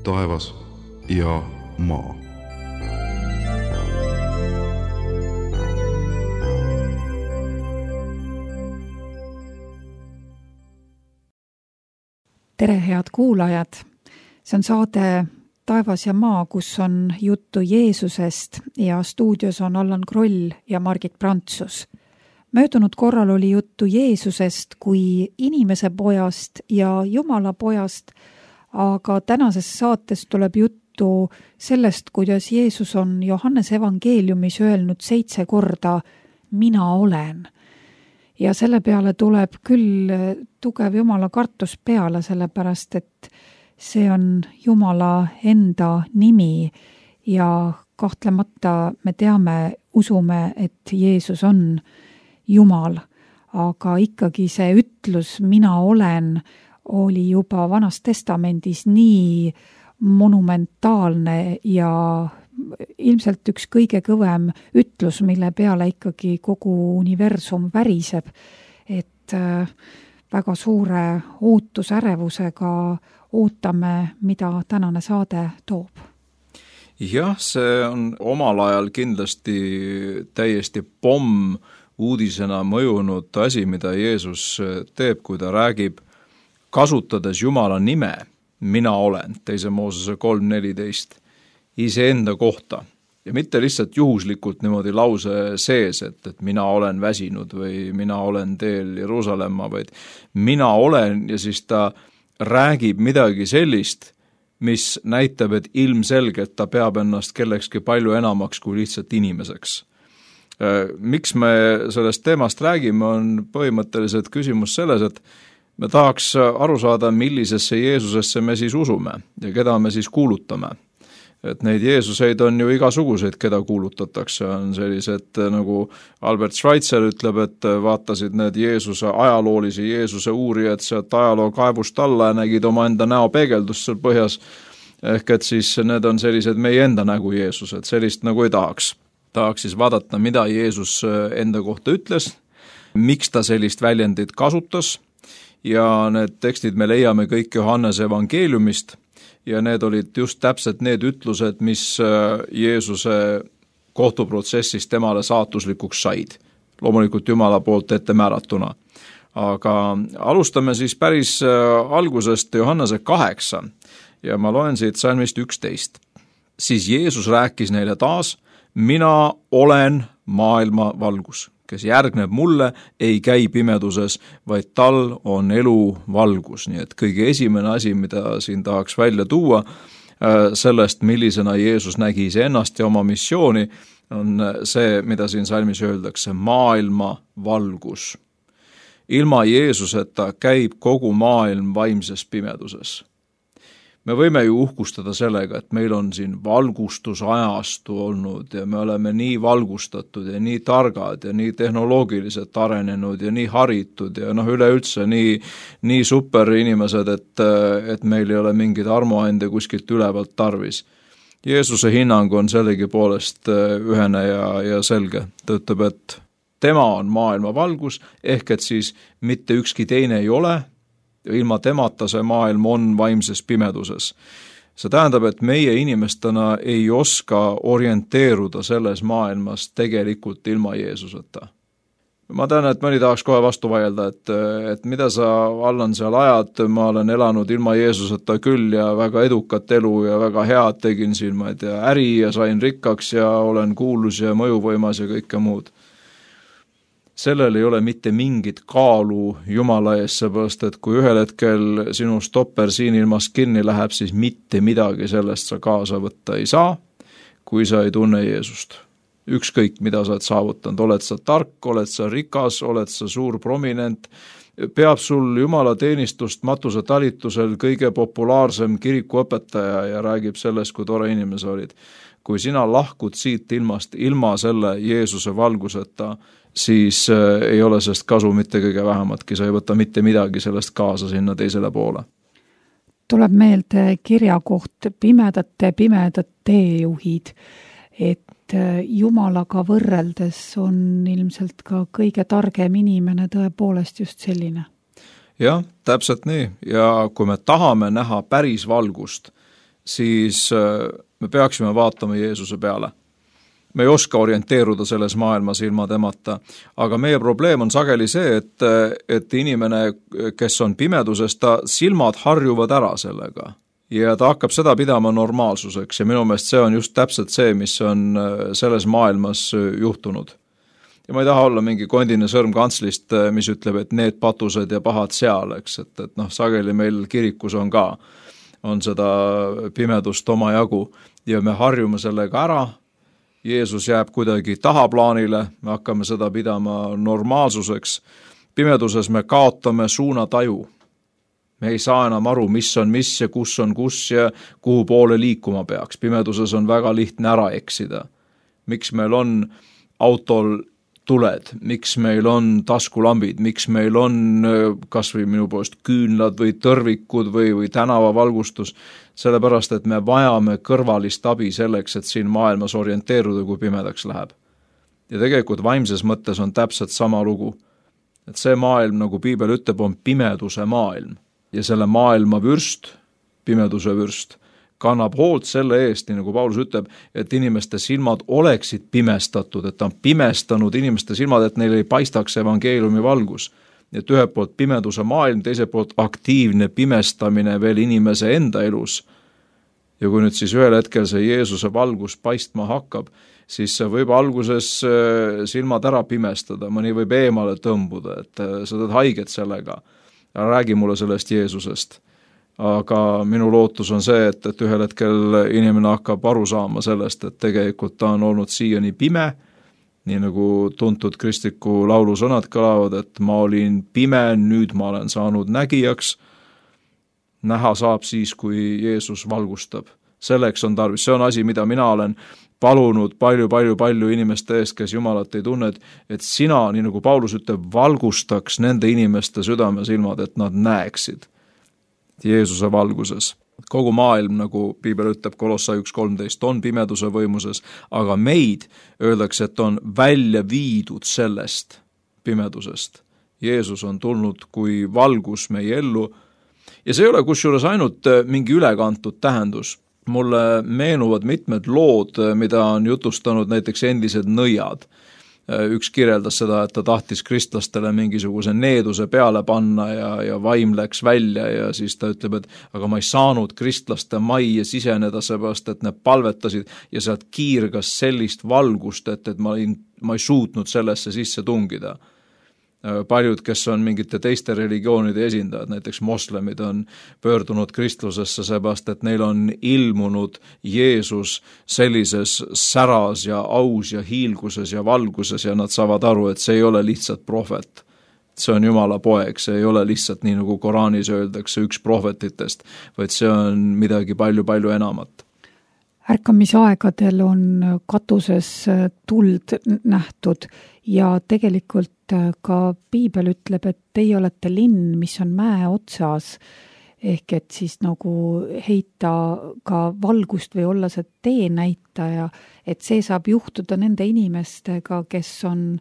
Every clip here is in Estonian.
taevas ja maa. Tere, head kuulajad! See on saade Taevas ja maa, kus on juttu Jeesusest ja stuudios on Allan Kroll ja Margit Prantsus. Möödunud korral oli juttu Jeesusest kui inimese pojast ja Jumala pojast, aga tänases saates tuleb juttu sellest, kuidas Jeesus on Johannese evangeeliumis öelnud 7 korda mina olen. Ja selle peale tuleb küll tugev Jumala kartus peale, sellepärast et see on Jumala enda nimi ja kahtlemata me teame, usume, et Jeesus on Jumal, aga ikkagi see ütlus mina olen oli juba Vanas Testamendis nii monumentaalne ja ilmselt üks kõige kõvem ütlus, mille peale ikkagi kogu universum väriseb, et väga suure ootusärevusega ootame, mida tänane saade toob. Jah, see on omal ajal kindlasti täiesti pomm uudisena mõjunud asi, mida Jeesus teeb, kui ta räägib, kasutades Jumala nime, mina olen, 2. Moosese 3.14, iseenda kohta. Ja mitte lihtsalt juhuslikult niimoodi lause sees, et mina olen väsinud või mina olen teel Jeruusalemma, vaid mina olen ja siis ta räägib midagi sellist, mis näitab, et ilmselgelt ta peab ennast kellekski palju enamaks kui lihtsalt inimeseks. Miks me sellest teemast räägime, on põhimõtteliselt küsimus selles, et me tahaks aru saada, millisesse Jeesusesse me siis usume ja keda me siis kuulutame. Et neid Jeesuseid on ju igasuguseid, keda kuulutatakse, on sellised nagu Albert Schweitzer ütleb, et vaatasid need Jeesuse ajaloolisi Jeesuse uurijad sealt ajaloo kaevust alla ja nägid oma enda näo peegeldust seal põhjas, ehk et siis need on sellised meie enda nägu Jeesused, sellist nagu ei tahaks. Tahaks siis vaadata, mida Jeesus enda kohta ütles, miks ta sellist väljendit kasutas ja need tekstid me leiame kõik Johannese evangeeliumist ja need olid just täpselt need ütlused, mis Jeesuse kohtuprotsessis temale saatuslikuks said. Loomulikult Jumala poolt ette määratuna. Aga alustame siis päris algusest Johannese 8 ja ma loen siit salmist 11. Siis Jeesus rääkis neile taas, mina olen maailma valgus, kes järgneb mulle, ei käi pimeduses, vaid tal on elu valgus. Nii et kõige esimene asi, mida siin tahaks välja tuua sellest, millisena Jeesus nägi iseennast ja oma missiooni, on see, mida siin salmis öeldakse, maailma valgus. Ilma Jeesuseta käib kogu maailm vaimses pimeduses. Me võime ju uhkustada sellega, et meil on siin valgustusajastu olnud ja me oleme nii valgustatud ja nii targad ja nii tehnoloogiliselt arenenud ja nii haritud ja üleüldse nii super inimesed, et meil ei ole mingid armuande kuskilt ülevalt tarvis. Jeesuse hinnang on sellegi poolest ühene ja selge. Ta ütleb, et tema on maailma valgus, ehk et siis mitte ükski teine ei ole, ilma temata see maailm on vaimses pimeduses. See tähendab, et meie inimestena ei oska orienteeruda selles maailmas tegelikult ilma Jeesuseta. Ma tean, et mõni tahaks kohe vastu vaielda, et mida sa, Allan, seal ajad, ma olen elanud ilma Jeesuseta küll ja väga edukat elu ja väga head tegin siin, ma ei tea, äri ja sain rikkaks ja olen kuulus ja mõjuvõimas ja kõike muud. Sellel ei ole mitte mingit kaalu Jumala ees, seepärast, et kui ühel hetkel sinu stopper siin ilmas kinni läheb, siis mitte midagi sellest sa kaasa võtta ei saa, kui sa ei tunne Jeesust. Ükskõik, mida sa oled saavutanud, oled sa tark, oled sa rikas, oled sa suur prominent, peab sul Jumala teenistust matuse talitusel kõige populaarsem kirikuõpetaja ja räägib sellest, kui tore inimese olid. Kui sina lahkud siit ilmast ilma selle Jeesuse valguseta, siis ei ole sellest kasu mitte kõige vähematki, sa ei võta mitte midagi sellest kaasa sinna teisele poole. Tuleb meelde kirja koht pimedad teejuhid, et Jumalaga võrreldes on ilmselt ka kõige targem inimene tõepoolest just selline. Jah, täpselt nii. Ja kui me tahame näha päris valgust, siis me peaksime vaatama Jeesuse peale. Me ei oska orienteeruda selles maailmas ilma temata, aga meie probleem on sageli see, et inimene, kes on pimeduses, ta silmad harjuvad ära sellega ja ta hakkab seda pidama normaalsuseks ja minu meelest see on just täpselt see, mis on selles maailmas juhtunud. Ja ma ei taha olla mingi kondine sõrm kantslist, mis ütleb, et need patused ja pahad seal, eks, et sageli meil kirikus on ka, on seda pimedust omajagu ja me harjume sellega ära. Jeesus jääb kuidagi tahaplaanile, me hakkame seda pidama normaalsuseks. Pimeduses me kaotame suunataju. Me ei saa enam aru, mis on mis ja kus ja kuhu poole liikuma peaks. Pimeduses on väga lihtne ära eksida. Miks meil on autol tuled, miks meil on taskulambid, miks meil on kas või minu poolest küünlad või tõrvikud või tänavavalgustus, sellepärast, et me vajame kõrvalist abi selleks, et siin maailmas orienteeruda, kui pimedaks läheb. Ja tegelikult vaimses mõttes on täpselt sama lugu. Et see maailm, nagu Piibel ütleb, on pimeduse maailm. Ja selle maailma vürst, pimeduse vürst, kannab hoolt selle eest, nii nagu Paulus ütleb, et inimeste silmad oleksid pimestatud, et ta on pimestanud inimeste silmad, et neil ei paistaks evangeeliumi valgus. Et ühelt poolt pimeduse maailm, teiselt poolt aktiivne pimestamine veel inimese enda elus. Ja kui nüüd siis ühel hetkel see Jeesuse valgus paistma hakkab, siis see võib alguses silmad ära pimestada, mõni võib eemale tõmbuda, et sa teed haiget sellega. Räägi mulle sellest Jeesusest. Aga minu lootus on see, et ühel hetkel inimene hakkab aru saama sellest, et tegelikult ta on olnud siiani pime, nii nagu tuntud kristliku laulu sõnad kõlavad, et ma olin pime, nüüd ma olen saanud nägijaks. Näha saab siis, kui Jeesus valgustab. Selleks on tarvis, see on asi, mida mina olen palunud palju inimeste eest, kes Jumalat ei tunne, et sina, nii nagu Paulus ütleb, valgustaks nende inimeste südamesilmad, et nad näeksid Jeesuse valguses. Kogu maailm, nagu Piibel ütleb Kolossai 1.13, on pimeduse võimuses, aga meid öeldakse, et on välja viidud sellest pimedusest. Jeesus on tulnud kui valgus meie ellu ja see ei ole kusjuures ainult mingi ülekantud tähendus. Mulle meenuvad mitmed lood, mida on jutustanud näiteks endised nõiad. Üks kirjeldas seda, et ta tahtis kristlastele mingisuguse needuse peale panna ja vaim läks välja ja siis ta ütleb, et aga ma ei saanud kristlaste majja siseneda seepärast, et need palvetasid ja sealt kiirgas sellist valgust, et ma ei suutnud sellesse sisse tungida. Paljud, kes on mingite teiste religioonide esindajad, näiteks moslemid on pöördunud kristlusesse seepärast, et neil on ilmunud Jeesus sellises säras ja aus ja hiilguses ja valguses ja nad saavad aru, et see ei ole lihtsalt prohvet. See on Jumala poeg, see ei ole lihtsalt nii nagu Koraanis öeldakse üks prohvetitest, vaid see on midagi palju enamat. Ärkamisaegadel on katuses tuld nähtud ja tegelikult ka Piibel ütleb, et teie olete linn, mis on mäe otsas, ehk et siis nagu heita ka valgust või olla see teenäitaja, et see saab juhtuda nende inimestega, kes on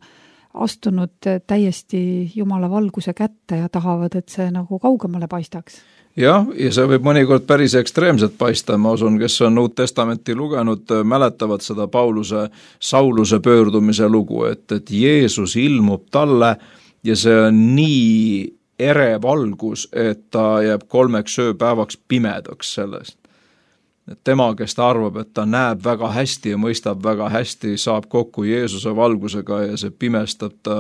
astunud täiesti Jumala valguse kätte ja tahavad, et see nagu kaugemale paistaks. Jah, ja see võib mõnikord päris ekstreemselt paista, ma usun, kes on Uut Testamenti lugenud, mäletavad seda Sauluse pöördumise lugu, et Jeesus ilmub talle ja see on nii ere valgus, et ta jääb 3 ööpäevaks pimedaks sellest. Et tema, kes ta arvab, et ta näeb väga hästi ja mõistab väga hästi, saab kokku Jeesuse valgusega ja see pimestab ta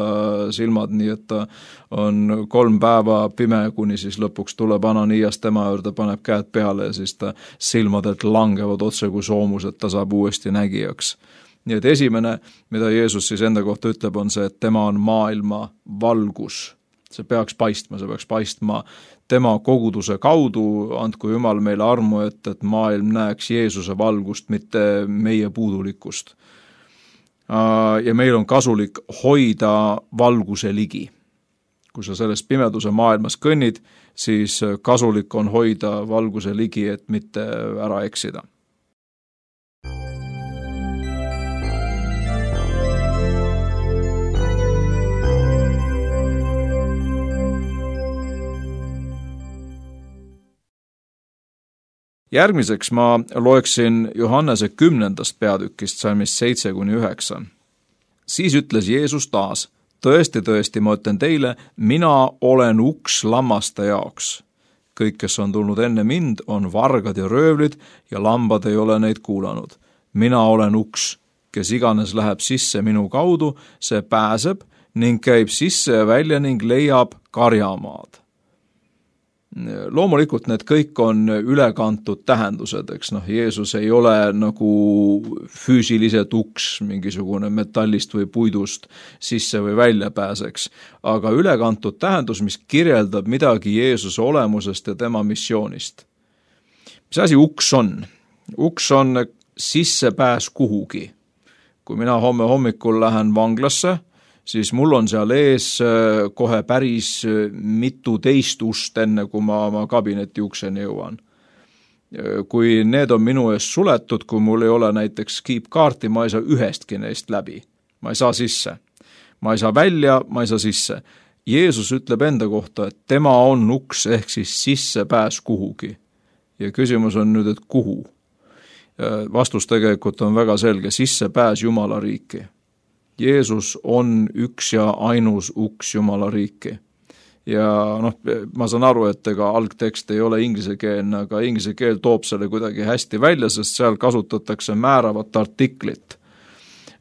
silmad nii, et ta on 3 päeva pime, kuni siis lõpuks tuleb Ananias tema juurde, paneb käed peale ja siis ta silmadelt langevad otse kui soomus, et ta saab uuesti nägijaks. Nii et esimene, mida Jeesus siis enda kohta ütleb, on see, et tema on maailma valgus. See peaks paistma tema koguduse kaudu, andku Jumal meile armu, et maailm näeks Jeesuse valgust, mitte meie puudulikkust. Ja meil on kasulik hoida valguse ligi. Kui sa selles pimeduse maailmas kõnnid, siis kasulik on hoida valguse ligi, et mitte ära eksida. Järgmiseks ma loeksin Johannese 10. peatükist salmist 7-9. Siis ütles Jeesus taas, tõesti, tõesti, ma ütlen teile, mina olen uks lammaste jaoks. Kõik, kes on tulnud enne mind, on vargad ja röövlid ja lambad ei ole neid kuulanud. Mina olen uks, kes iganes läheb sisse minu kaudu, see pääseb ning käib sisse ja välja ning leiab karjamaad. Loomulikult need kõik on ülekantud tähendused, eks Jeesus ei ole nagu füüsiliselt uks, mingisugune metallist või puidust sisse või välja pääseks, aga ülekantud tähendus, mis kirjeldab midagi Jeesuse olemusest ja tema missioonist. Mis asi uks on? Uks on sissepääs kuhugi. Kui mina homme hommikul lähen vanglasse, siis mul on seal ees kohe päris mitu teist ust, enne kui ma oma kabineti ukseni jõuan. Kui need on minu ees suletud, kui mul ei ole näiteks keep-kaarti, ma ei saa ühestki neist läbi. Ma ei saa sisse. Ma ei saa välja, ma ei saa sisse. Jeesus ütleb enda kohta, et tema on uks ehk siis sissepääs kuhugi. Ja küsimus on nüüd, et kuhu? Vastus tegelikult on väga selge, sissepääs Jumala riiki. Jeesus on üks ja ainus uks Jumala riiki. Ja ma saan aru, et ega algtekst ei ole inglisekeelne, aga inglise keel toob selle kuidagi hästi välja, sest seal kasutatakse määravat artiklit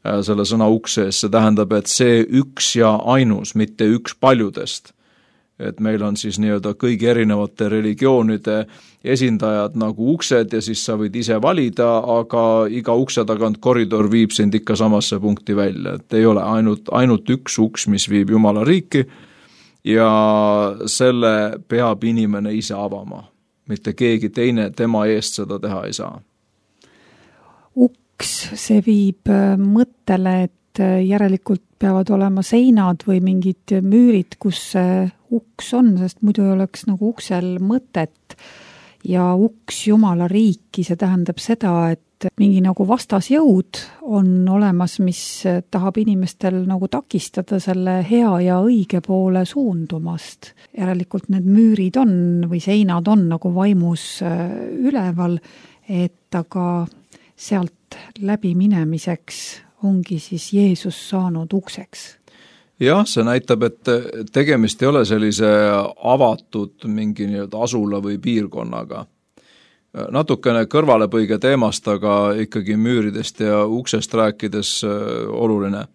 selle sõna uksees. See tähendab, et see üks ja ainus, mitte üks paljudest. Et meil on siis nii-öelda kõigi erinevate religioonide esindajad nagu uksed ja siis sa võid ise valida, aga iga ukse tagant koridor viib sind ikka samasse punkti välja. Et ei ole ainult üks uks, mis viib Jumala riiki ja selle peab inimene ise avama. Mitte keegi teine tema eest seda teha ei saa. Uks, see viib mõttele, et järelikult peavad olema seinad või mingid müürid, kus see uks on, sest muidu ei oleks nagu uksel mõtet. Ja uks Jumala riiki, see tähendab seda, et mingi nagu vastasjõud on olemas, mis tahab inimestel nagu takistada selle hea ja õige poole suundumast. Järelikult need müürid on või seinad on nagu vaimus üleval, et aga sealt läbi minemiseks ongi siis Jeesus saanud ukseks. Jah, see näitab, et tegemist ei ole sellise avatud mingi asula või piirkonnaga. Natukene kõrvalepõige teemast, aga ikkagi müüridest ja uksest rääkides oluline.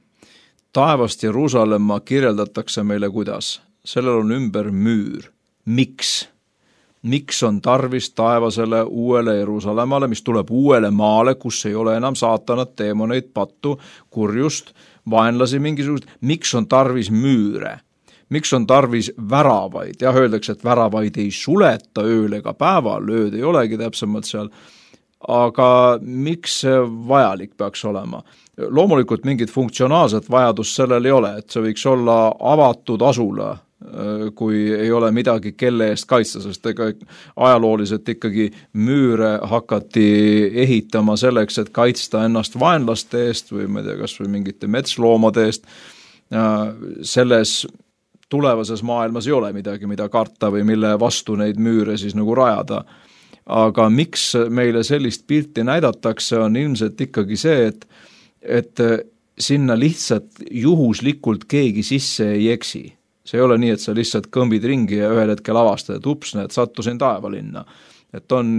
Taevast Jeruusalemma kirjeldatakse meile kuidas? Sellel on ümber müür. Miks? Miks on tarvis taevasele uuele Jeruusalemmale, mis tuleb uuele maale, kus ei ole enam saatanat, teemoneid, pattu, kurjust, vaenlasi mingisugust, miks on tarvis müüre? Miks on tarvis väravaid? Jah, öeldakse, et väravaid ei suleta ööl ega päeval, ööd ei olegi täpsemalt seal, aga miks see vajalik peaks olema? Loomulikult mingit funktsionaalset vajadust sellel ei ole, et see võiks olla avatud asula, kui ei ole midagi kelle eest kaitsta, sest ega ajalooliselt ikkagi müüre hakati ehitama selleks, et kaitsta ennast vaenlaste eest või ma ei tea, kas või mingite metsloomade eest. Selles tulevases maailmas ei ole midagi, mida karta või mille vastu neid müüre siis nagu rajada. Aga miks meile sellist pilti näidatakse, on ilmselt ikkagi see, et sinna lihtsalt juhuslikult keegi sisse ei eksi. See ei ole nii, et sa lihtsalt kõmbid ringi ja ühel hetkel avastad, et ups, need sattusin taevalinna. Et on,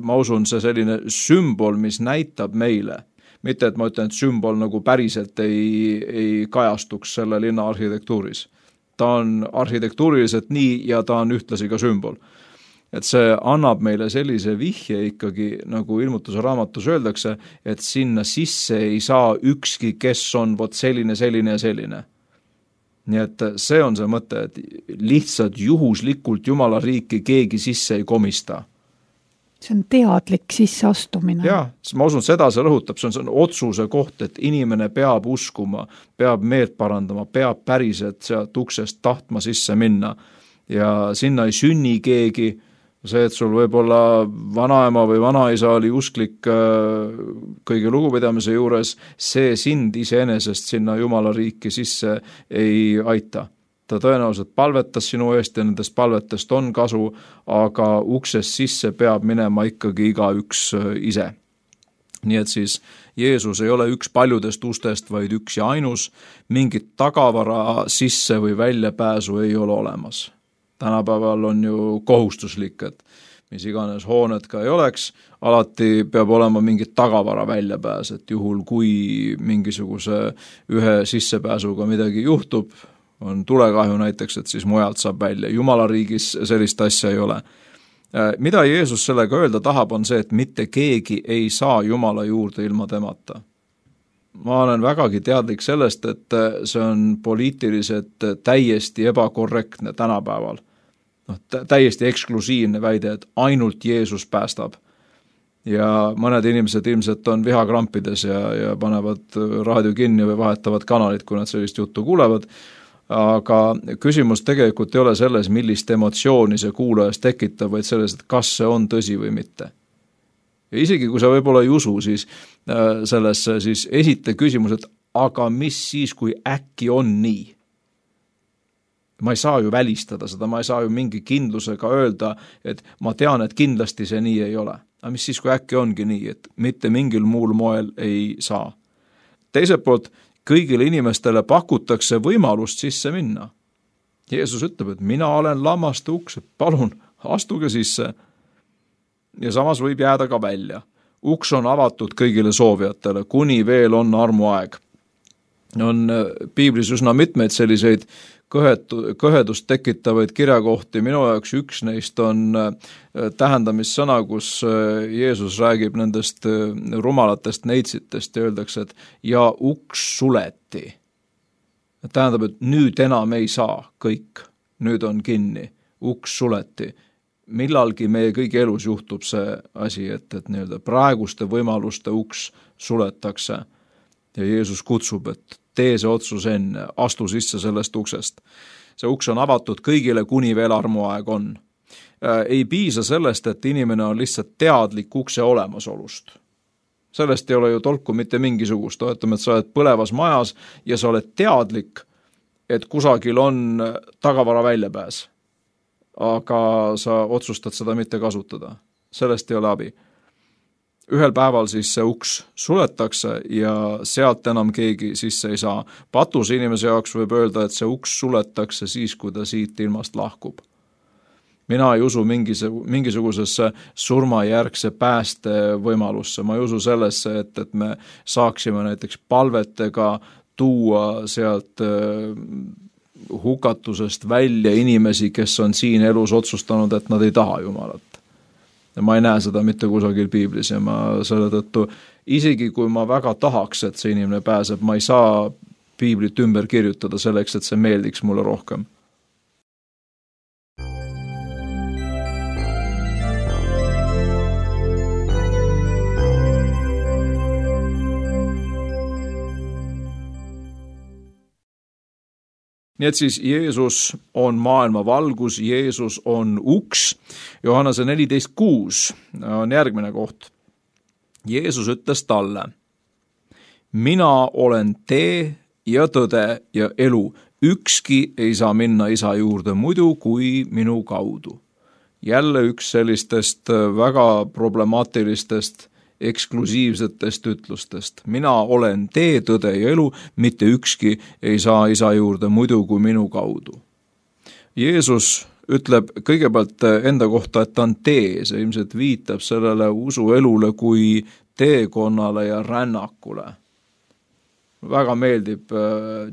ma usun, see selline sümbol, mis näitab meile. Mitte, et ma ütlen, et sümbol nagu päriselt ei kajastuks selle linna arhitektuuris. Ta on arhitektuuriliselt nii ja ta on ühtlasi ka sümbol. Et see annab meile sellise vihje ikkagi, nagu ilmutuse raamatus öeldakse, et sinna sisse ei saa ükski, kes on vot selline ja selline. Nii et see on see mõte, et lihtsalt juhuslikult Jumala riiki keegi sisse ei komista. See on teadlik sisseastumine. Jah, ma usun, seda see rõhutab, see on otsuse koht, et inimene peab uskuma, peab meelt parandama, peab päriselt sealt uksest tahtma sisse minna ja sinna ei sünni keegi. See, et sul võib-olla vanaema või vanaisa oli usklik kõige lugupidamise juures, see sind iseenesest sinna Jumala riiki sisse ei aita. ta tõenäoliselt palvetas sinu eest ja nendest palvetest on kasu, aga uksest sisse peab minema ikkagi igaüks ise. Nii et siis Jeesus ei ole üks paljudest ustest, vaid üks ja ainus, mingit tagavara sisse või väljapääsu ei ole olemas. Tänapäeval on ju kohustuslik, et mis iganes hooned ka ei oleks, alati peab olema mingit tagavara väljapääs, et juhul kui mingisuguse ühe sissepääsuga midagi juhtub, on tulekahju näiteks, et siis mujalt saab välja. Jumala riigis sellist asja ei ole. Mida Jeesus sellega öelda tahab, on see, et mitte keegi ei saa Jumala juurde ilma temata. Ma olen vägagi teadlik sellest, et see on poliitiliselt täiesti ebakorrektne tänapäeval. Täiesti eksklusiivne väide, et ainult Jeesus päästab. Ja mõned inimesed ilmselt on vihakrampides ja panevad raadio kinni või vahetavad kanalit, kui nad sellist juttu kuulevad. Aga küsimus tegelikult ei ole selles, millist emotsiooni see kuulajas tekitab, vaid selles, et kas see on tõsi või mitte. Ja isegi kui sa võib-olla ei usu, siis sellesse siis esita küsimus, et aga mis siis, kui äkki on nii? Ma ei saa ju välistada seda, ma ei saa ju mingi kindlusega öelda, et ma tean, et kindlasti see nii ei ole. Aga mis siis, kui äkki ongi nii, et mitte mingil muul moel ei saa? Teiselt poolt, kõigile inimestele pakutakse võimalust sisse minna. Jeesus ütleb, et mina olen lammaste uks, palun, astuge sisse. Ja samas võib jääda ka välja. Uks on avatud kõigile soovijatele, kuni veel on armuaeg. On piiblis üsna mitmeid selliseid kõhedust tekitavaid kirjakohti. Minu jaoks üks neist on tähendamissõna, kus Jeesus räägib nendest rumalatest neitsitest ja öeldakse, et ja uks suleti. Tähendab, et nüüd enam ei saa kõik, nüüd on kinni, uks suleti. Millalgi meie kõigi elus juhtub see asi, et nii-öelda praeguste võimaluste uks suletakse ja Jeesus kutsub, et tee see otsus enne, astu sisse sellest uksest. See uks on avatud kõigile, kuni veel armuaeg on. Ei piisa sellest, et inimene on lihtsalt teadlik ukse olemasolust. Sellest ei ole ju tolku mitte mingisugust. Oletame, et sa oled põlevas majas ja sa oled teadlik, et kusagil on tagavara väljapääs. Aga sa otsustad seda mitte kasutada. Sellest ei ole abi. Ühel päeval siis see uks suletakse ja sealt enam keegi sisse ei saa. Patus inimese jaoks võib öelda, et see uks suletakse siis, kui ta siit ilmast lahkub. Mina ei usu mingisugusesse surmajärgse pääste võimalusse. Ma ei usu sellesse, et me saaksime näiteks palvetega tuua sealt hukatusest välja inimesi, kes on siin elus otsustanud, et nad ei taha Jumalat. Ja ma ei näe seda mitte kusagil piiblis ja ma selle tõttu, isegi kui ma väga tahaks, et see inimene pääseb, ma ei saa piiblit ümber kirjutada selleks, et see meeldiks mulle rohkem. Nii et siis Jeesus on maailma valgus, Jeesus on uks. Johannese 14:6 on järgmine koht. Jeesus ütles talle, mina olen tee ja tõde ja elu. Ükski ei saa minna isa juurde muidu kui minu kaudu. Jälle üks sellistest väga problemaatilistest eksklusiivsetest ütlustest. Mina olen tee, tõde ja elu, mitte ükski ei saa isa juurde muidu kui minu kaudu. Jeesus ütleb kõigepealt enda kohta, et ta on tee, see ilmselt viitab sellele usuelule kui teekonnale ja rännakule. Väga meeldib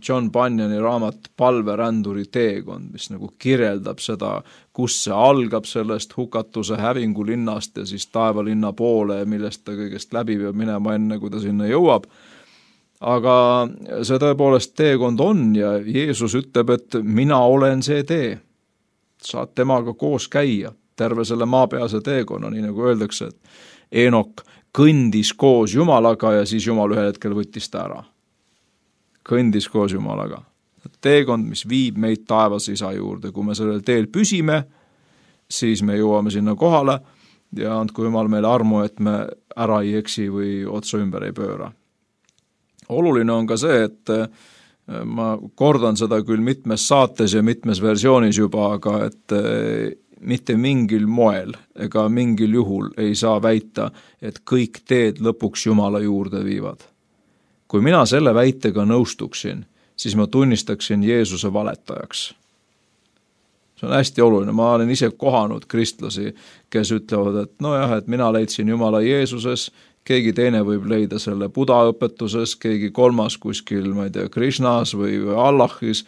John Bunyani raamat Palveränduri teekond, mis nagu kirjeldab seda, kus see algab sellest hukatuse hävingulinnast ja siis taevalinna poole, millest ta kõigest läbi peab minema enne, kui ta sinna jõuab. Aga see tõepoolest teekond on ja Jeesus ütleb, et mina olen see tee. Saad temaga koos käia terve selle maapealse teekonna, nii nagu öeldakse, et Eenok kõndis koos Jumalaga ja siis Jumal ühel hetkel võttis ta ära. Kõndis koos Jumalaga. Teekond, mis viib meid taevas isa juurde. Kui me sellel teel püsime, siis me jõuame sinna kohale ja andku Jumal meile armu, et me ära ei eksi või otsa ümber ei pööra. Oluline on ka see, et Ma kordan seda küll mitmes saates ja mitmes versioonis juba, aga et mitte mingil moel ega mingil juhul ei saa väita, et kõik teed lõpuks Jumala juurde viivad. Kui mina selle väitega nõustuksin, siis ma tunnistaksin Jeesuse valetajaks. See on hästi oluline, ma olen ise kohanud kristlasi, kes ütlevad, et nojah, et mina leidsin Jumala Jeesuses, keegi teine võib leida selle Buda õpetuses, keegi kolmas kuskil, ma ei tea, Krishnas või Allahis,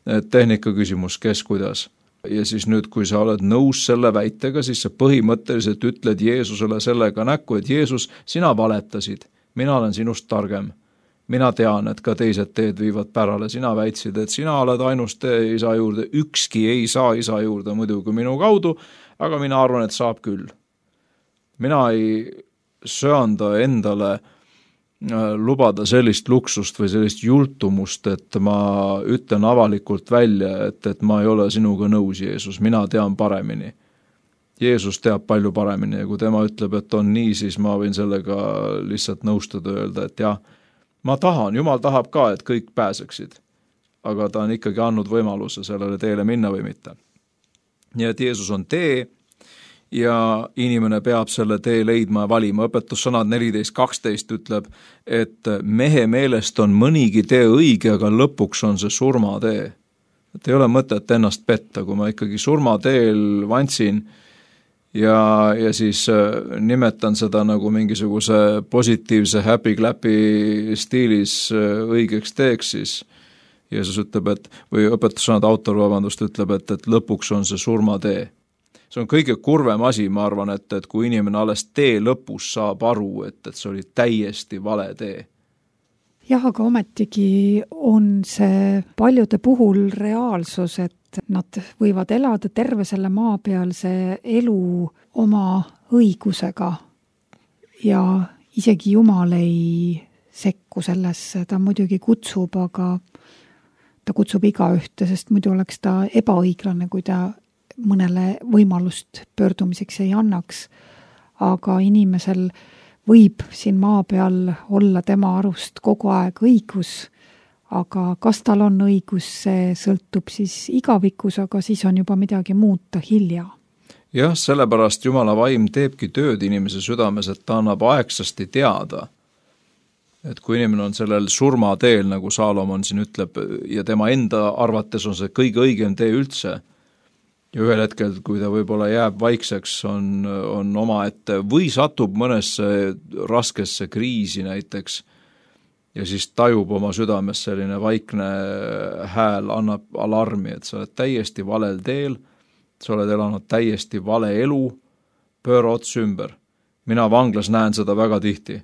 et tehnika küsimus, kes kuidas. Ja siis nüüd, kui sa oled nõus selle väitega, siis sa põhimõtteliselt ütled Jeesusele sellega näkku, et Jeesus, sina valetasid, mina olen sinust targem. Mina tean, et ka teised teed viivad pärale, sina väitsid, et sina oled ainus tee isa juurde, ükski ei saa isa juurde muidugi minu kaudu, aga mina arvan, et saab küll. Mina ei söanda endale lubada sellist luksust või sellist jultumust, et ma ütlen avalikult välja, et ma ei ole sinuga nõus, Jeesus, mina tean paremini. Jeesus teab palju paremini ja kui tema ütleb, et on nii, siis ma võin sellega lihtsalt nõustuda ja öelda, et jah, ma tahan, Jumal tahab ka, et kõik pääseksid, aga ta on ikkagi andnud võimaluse sellele teele minna või mitte. Nii et Jeesus on tee ja inimene peab selle tee leidma ja valima. Õpetussõnad 14.12 ütleb, et mehe meelest on mõnigi tee õige, aga lõpuks on see surmatee. Et ei ole mõtet ennast petta, kui ma ikkagi surmateel vantsin ja siis nimetan seda nagu mingisuguse positiivse happy-clappi stiilis õigeks teeks, siis Jeesus ütleb, et, või õpetussõnad autor, ütleb, et lõpuks on see surmatee. See on kõige kurvem asi, ma arvan, et kui inimene alles tee lõpus saab aru, et see oli täiesti vale tee. Jah, aga ometigi on see paljude puhul reaalsus, et nad võivad elada terve selle maapealse elu oma õigusega ja isegi Jumal ei sekku sellesse, ta muidugi kutsub, aga ta kutsub igaühte, sest muidu oleks ta ebaõiglane, kui ta mõnele võimalust pöördumiseks ei annaks. Aga inimesel võib siin maa peal olla tema arust kogu aeg õigus, aga kas tal on õigus, see sõltub siis igavikus, aga siis on juba midagi muuta hilja. Jah, sellepärast Jumala vaim teebki tööd inimese südames, et ta annab aegsasti teada, et kui inimene on sellel surmateel, nagu Saalomon siin ütleb, ja tema enda arvates on see kõige õigem tee üldse, ja ühel hetkel, kui ta võib-olla jääb vaikseks, on omaette või satub mõnesse raskesse kriisi näiteks, ja siis tajub oma südames selline vaikne hääl, annab alarmi, et sa oled täiesti valel teel, sa oled elanud täiesti vale elu, pööra ots ümber. Mina vanglas näen seda väga tihti.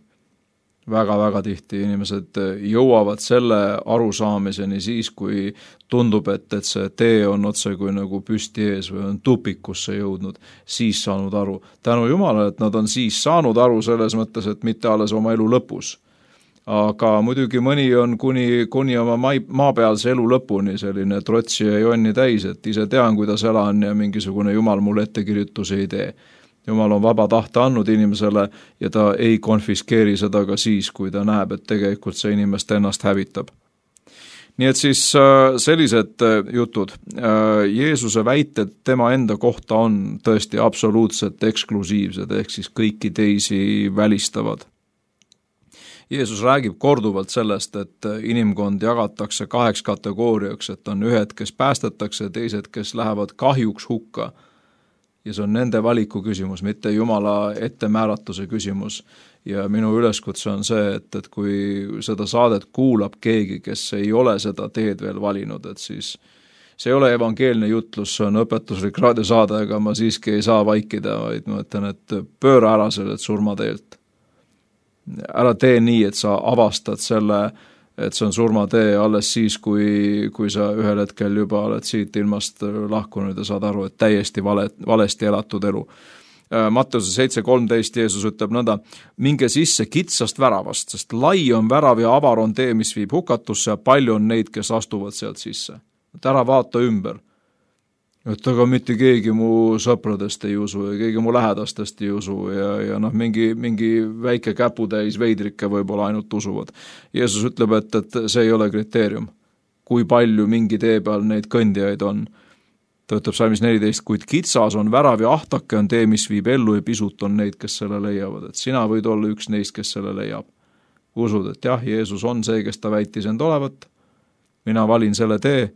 Väga-väga tihti inimesed jõuavad selle arusaamiseni siis, kui tundub, et see tee on otse kui nagu püsti ees või on tupikusse jõudnud, siis saanud aru. Tänu Jumalale, et nad on siis saanud aru selles mõttes, et mitte alles oma elu lõpus. Aga muidugi mõni on kuni oma maapealse elu lõpuni selline trotsi ja jonni täis, et ise tean, kuidas elan ja mingisugune Jumal mulle ettekirjutusi ei tee. Jumal on vaba tahte andnud inimesele ja ta ei konfiskeeri seda ka siis, kui ta näeb, et tegelikult see inimest ennast hävitab. Nii et siis sellised jutud. Jeesuse väited tema enda kohta on tõesti absoluutselt eksklusiivsed, ehk siis kõiki teisi välistavad. Jeesus räägib korduvalt sellest, et inimkond jagatakse 2 kategooriaks, et on ühed, kes päästetakse, teised, kes lähevad kahjuks hukka. Ja see on nende valiku küsimus, mitte Jumala ettemääratuse küsimus. Ja minu üleskutse on see, et kui seda saadet kuulab keegi, kes ei ole seda teed veel valinud, et siis see ei ole evangeelne jutlus, see on õpetuslik raadiosaade, aga ma siiski ei saa vaikida, vaid ma ütlen, et pööra ära sellelt surmateelt. Ära tee nii, et sa avastad selle, et see on surmatee alles siis, kui sa ühel hetkel juba oled siit ilmast lahkunud ja saad aru, et täiesti valesti elatud elu. Matteuse 7.13 Jeesus ütleb nõnda, minge sisse kitsast väravast, sest lai on värav ja avar on tee, mis viib hukatusse ja palju on neid, kes astuvad sealt sisse. Et ära vaata ümber. Et aga mitte keegi mu sõpradest ei usu ja keegi mu lähedastest ei usu ja mingi väike käputäis veidrikke võib-olla ainult usuvad. Jeesus ütleb, et see ei ole kriteerium. kui palju mingi tee peal neid kõndijaid on. Ta ütleb salmis 14, kuid kitsas on värav ja ahtake on tee, mis viib ellu ja pisut on neid, kes selle leiavad. Et sina võid olla üks neist, kes selle leiab. Usud, et jah, Jeesus on see, kes ta väitis end olevat. Mina valin selle tee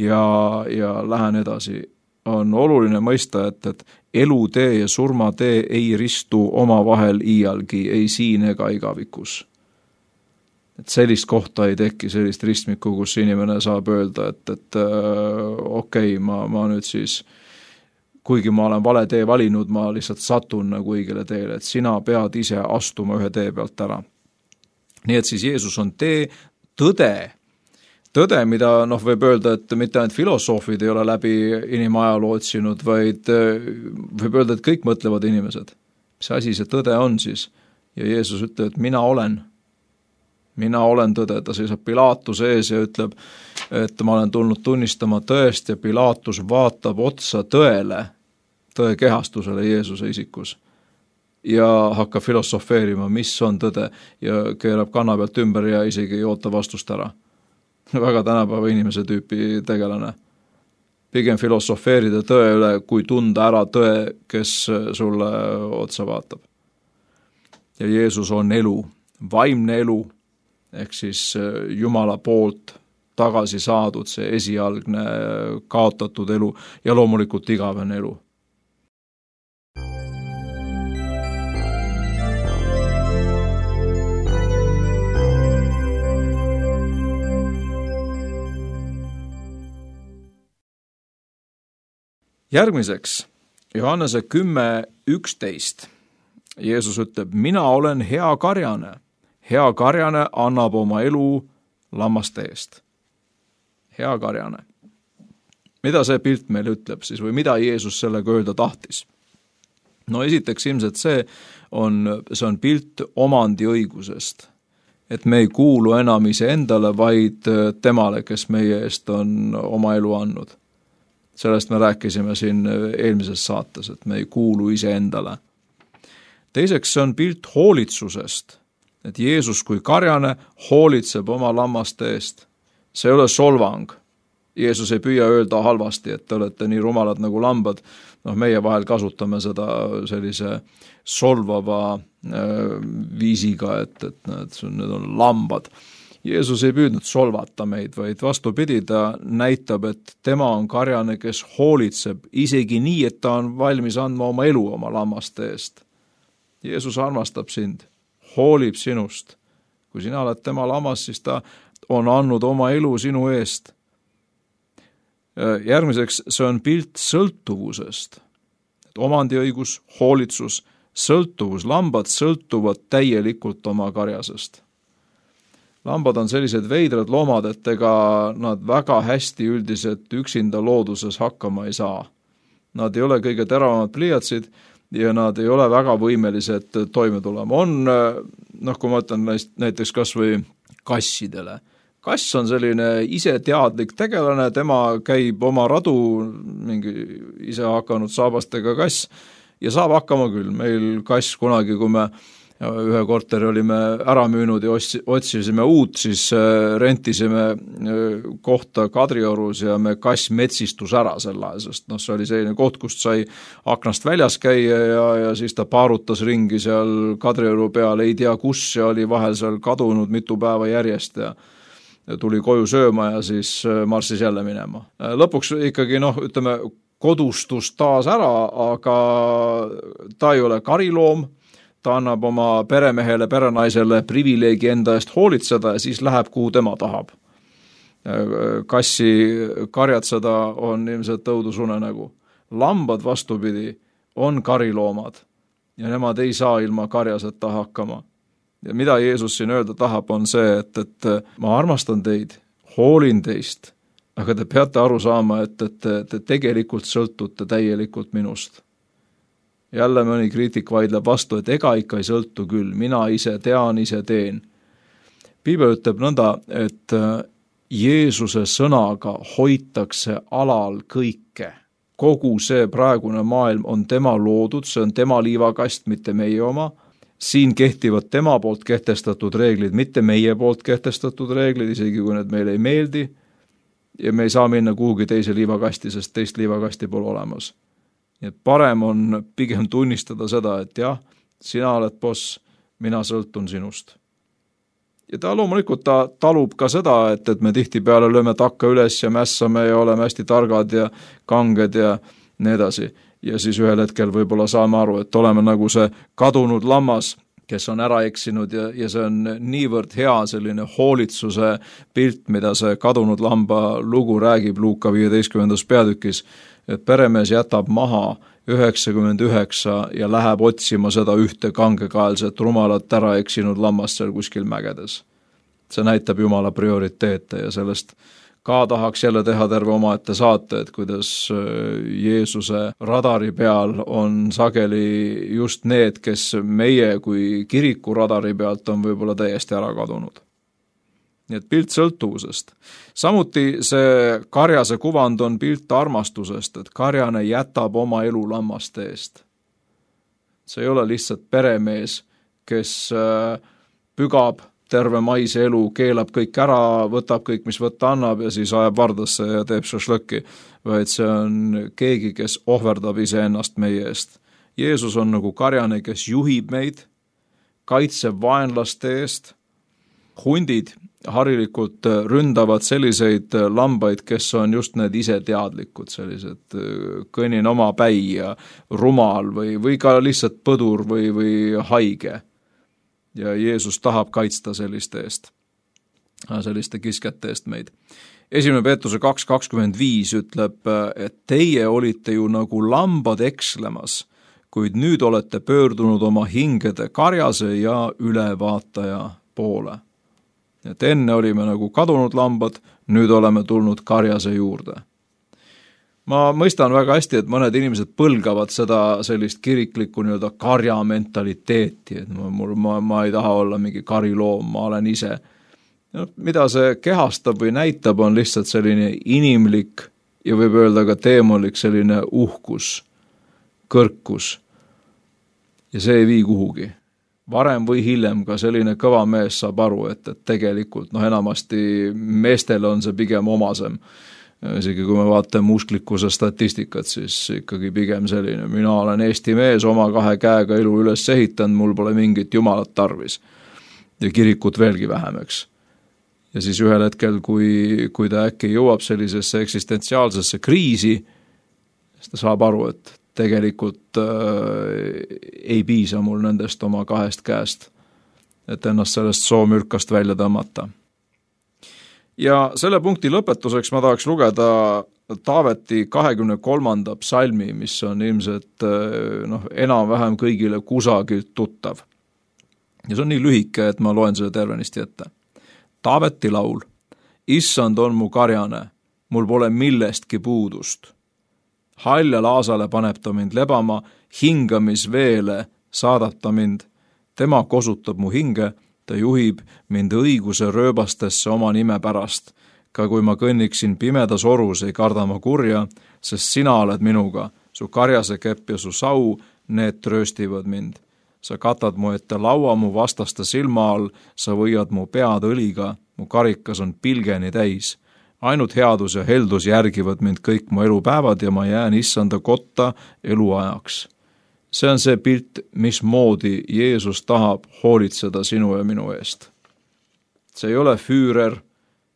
ja lähen edasi. On oluline mõista, et elutee ja surmatee ei ristu omavahel iialgi, ei siin ega igavikus. Et sellist kohta ei teki, sellist ristmikku, kus inimene saab öelda, et okei, ma nüüd siis, kuigi ma olen vale tee valinud, ma lihtsalt satun nagu õigele teele, et sina pead ise astuma ühe tee pealt ära. Nii et siis Jeesus on tee, tõde, mida võib öelda, et mitte ainult filosoofid ei ole läbi inimajaloo otsinud, vaid võib öelda, et kõik mõtlevad inimesed. Mis asi see tõde on siis? Ja Jeesus ütleb, et mina olen tõde, ta seisab Pilaatuse ees ja ütleb, et ma olen tulnud tunnistama tõest ja Pilaatus vaatab otsa tõele, tõe kehastusele Jeesuse isikus ja hakkab filosofeerima, mis on tõde ja keerab kanna pealt ümber ja isegi ei oota vastust ära. Väga tänapäeva inimese tüüpi tegelane. Pigem filosofeerida tõe üle, kui tunda ära tõe, kes sulle otsa vaatab. Ja Jeesus on elu, vaimne elu, ehk siis Jumala poolt tagasi saadud see esialgne kaotatud elu ja loomulikult igavene elu. Järgmiseks, Johannese 10:11. Jeesus ütleb, mina olen hea karjane. Hea karjane annab oma elu lammaste eest. Hea karjane. Mida see pilt meile ütleb siis või mida Jeesus sellega öelda tahtis? No esiteks ilmselt see on pilt omandiõigusest. Et me ei kuulu enam iseendale, vaid temale, kes meie eest on oma elu andnud. Sellest me rääkisime siin eelmises saates, et me ei kuulu iseendale. Teiseks see on pilt hoolitsusest, et Jeesus kui karjane hoolitseb oma lammaste eest. See ei ole solvang. Jeesus ei püüa öelda halvasti, et te olete nii rumalad nagu lambad. Meie vahel kasutame seda sellise solvava viisiga, et need on lambad. Jeesus ei püüdnud solvata meid, vaid vastupidi, ta näitab, et tema on karjane, kes hoolitseb isegi nii, et ta on valmis andma oma elu oma lammaste eest. Jeesus armastab sind, hoolib sinust. Kui sina oled tema lammas, siis ta on andnud oma elu sinu eest. Järgmiseks, see on pilt sõltuvusest. Omandiõigus, hoolitsus, sõltuvus. Lambad sõltuvad täielikult oma karjasest. Lambad on sellised veidrad loomad, et ega nad väga hästi üldiselt üksinda looduses hakkama ei saa. Nad ei ole kõige teravamad pliiatsid ja nad ei ole väga võimelised toime tulema. Kui ma ütlen näiteks kas või kassidele. Kass on selline iseteadlik tegelane, tema käib oma radu, mingi ise hakanud saabastega kass ja saab hakkama küll. Meil kass kunagi, kui me ühe korteri olime ära müünud ja otsisime uut, siis rentisime kohta Kadriorus ja me kass metsistus ära selle, sest see oli selline koht, kust sai aknast väljas käia ja siis ta paarutas ringi seal Kadrioru peal, ei tea kus ja oli vahel seal kadunud mitu päeva järjest ja tuli koju sööma ja siis marssis jälle minema. Lõpuks ikkagi, kodustus taas ära, aga ta ei ole kariloom, ta annab oma peremehele, perenaisele privileegi enda eest hoolitseda ja siis läheb, kuhu tema tahab. Kassi karjatseda on ilmselt õudusunenägu. Lambad vastupidi on kariloomad ja nemad ei saa ilma karjaseta hakkama. Ja mida Jeesus siin öelda tahab, on see, et ma armastan teid, hoolin teist, aga te peate aru saama, et te tegelikult sõltute täielikult minust. Jälle mõni kriitik vaidleb vastu, et ega ikka ei sõltu küll, mina ise tean, ise teen. Piibel ütleb nõnda, et Jeesuse sõnaga hoitakse alal kõike. Kogu see praegune maailm on tema loodud, see on tema liivakast, mitte meie oma. Siin kehtivad tema poolt kehtestatud reeglid, mitte meie poolt kehtestatud reeglid, isegi kui need meile ei meeldi. ja me ei saa minna kuhugi teise liivakasti, sest teist liivakasti pole olemas. Nii et parem on pigem tunnistada seda, et jah, sina oled boss, mina sõltun sinust. Ja ta loomulikult talub ka seda, et me tihtipeale lööme takka üles ja mässame ja oleme hästi targad ja kanged ja nii edasi. Ja siis ühel hetkel võib-olla saame aru, et oleme nagu see kadunud lammas, kes on ära eksinud ja see on niivõrd hea selline hoolitsuse pilt, mida see kadunud lamba lugu räägib Luuka 15. peatükis, et peremees jätab maha 99 ja läheb otsima seda ühte kangekaelset rumalat ära eksinud lammast seal kuskil mägedes. See näitab Jumala prioriteete ja sellest ka tahaks jälle teha terve omaette saate, et kuidas Jeesuse radari peal on sageli just need, kes meie kui kiriku radari pealt on võib-olla täiesti ära kadunud. Nii et pilt sõltuvusest. Samuti see karjase kuvand on pilt armastusest, et karjane jätab oma elu lammaste eest. See ei ole lihtsalt peremees, kes pügab terve maise elu, keelab kõik ära, võtab kõik, mis võtta annab ja siis ajab vardasse ja teeb šašlõkki, vaid see on keegi, kes ohverdab iseennast meie eest. Jeesus on nagu karjane, kes juhib meid, kaitseb vaenlaste eest. Hundid harilikult ründavad selliseid lambaid, kes on just need ise teadlikud, sellised kõnin oma päi ja rumal või ka lihtsalt põdur või haige. Ja Jeesus tahab kaitsta selliste kiskete eest meid. 1. Peetruse 2.25 ütleb, et teie olite ju nagu lambad ekslemas, kuid nüüd olete pöördunud oma hingede karjase ja ülevaataja poole. Et enne olime nagu kadunud lambad, nüüd oleme tulnud karjase juurde. Ma mõistan väga hästi, et mõned inimesed põlgavad seda sellist kiriklikku nii-öelda karja mentaliteeti, et ma ei taha olla mingi kariloom, ma olen ise. Mida see kehastab või näitab, on lihtsalt selline inimlik ja võib öelda ka teemolik selline uhkus, kõrkus. Ja see ei vii kuhugi. Varem või hiljem ka selline kõva mees saab aru, et tegelikult enamasti meestele on see pigem omasem. Isegi kui me vaatame usklikkuse statistikat, siis ikkagi pigem selline, mina olen Eesti mees, oma 2 käega elu üles ehitanud, mul pole mingit jumalat tarvis. Ja kirikut veelgi vähemeks. Ja siis ühel hetkel, kui ta äkki jõuab sellisesse eksistentsiaalsesse kriisi, siis ta saab aru, et tegelikult ei piisa mul nendest oma 2 käest, et ennast sellest soomürkast välja tõmmata. Ja selle punkti lõpetuseks ma tahaks lugeda Taaveti 23. psalmi, mis on ilmselt enam-vähem kõigile kusagilt tuttav. Ja see on nii lühike, et ma loen selle tervenisti ette. Taaveti laul. Issand on mu karjane, mul pole millestki puudust. Halja laasale paneb ta mind lebama, hingamisveele saadab ta mind. Tema kosutab mu hinge, ta juhib mind õiguse rööbastesse oma nime pärast. Ka kui ma kõnniksin pimedas orus, ei karda ma kurja, sest sina oled minuga. Su karjase kepp ja su sau, need trööstivad mind. Sa katad mu ette laua mu vastaste silma all, sa võiad mu pead õliga, mu karikas on pilgeni täis. Ainult headus ja heldus järgivad mind kõik mu elupäevad ja ma jään issanda kotta eluajaks. See on see pilt, mismoodi Jeesus tahab hoolitseda sinu ja minu eest. See ei ole füürer,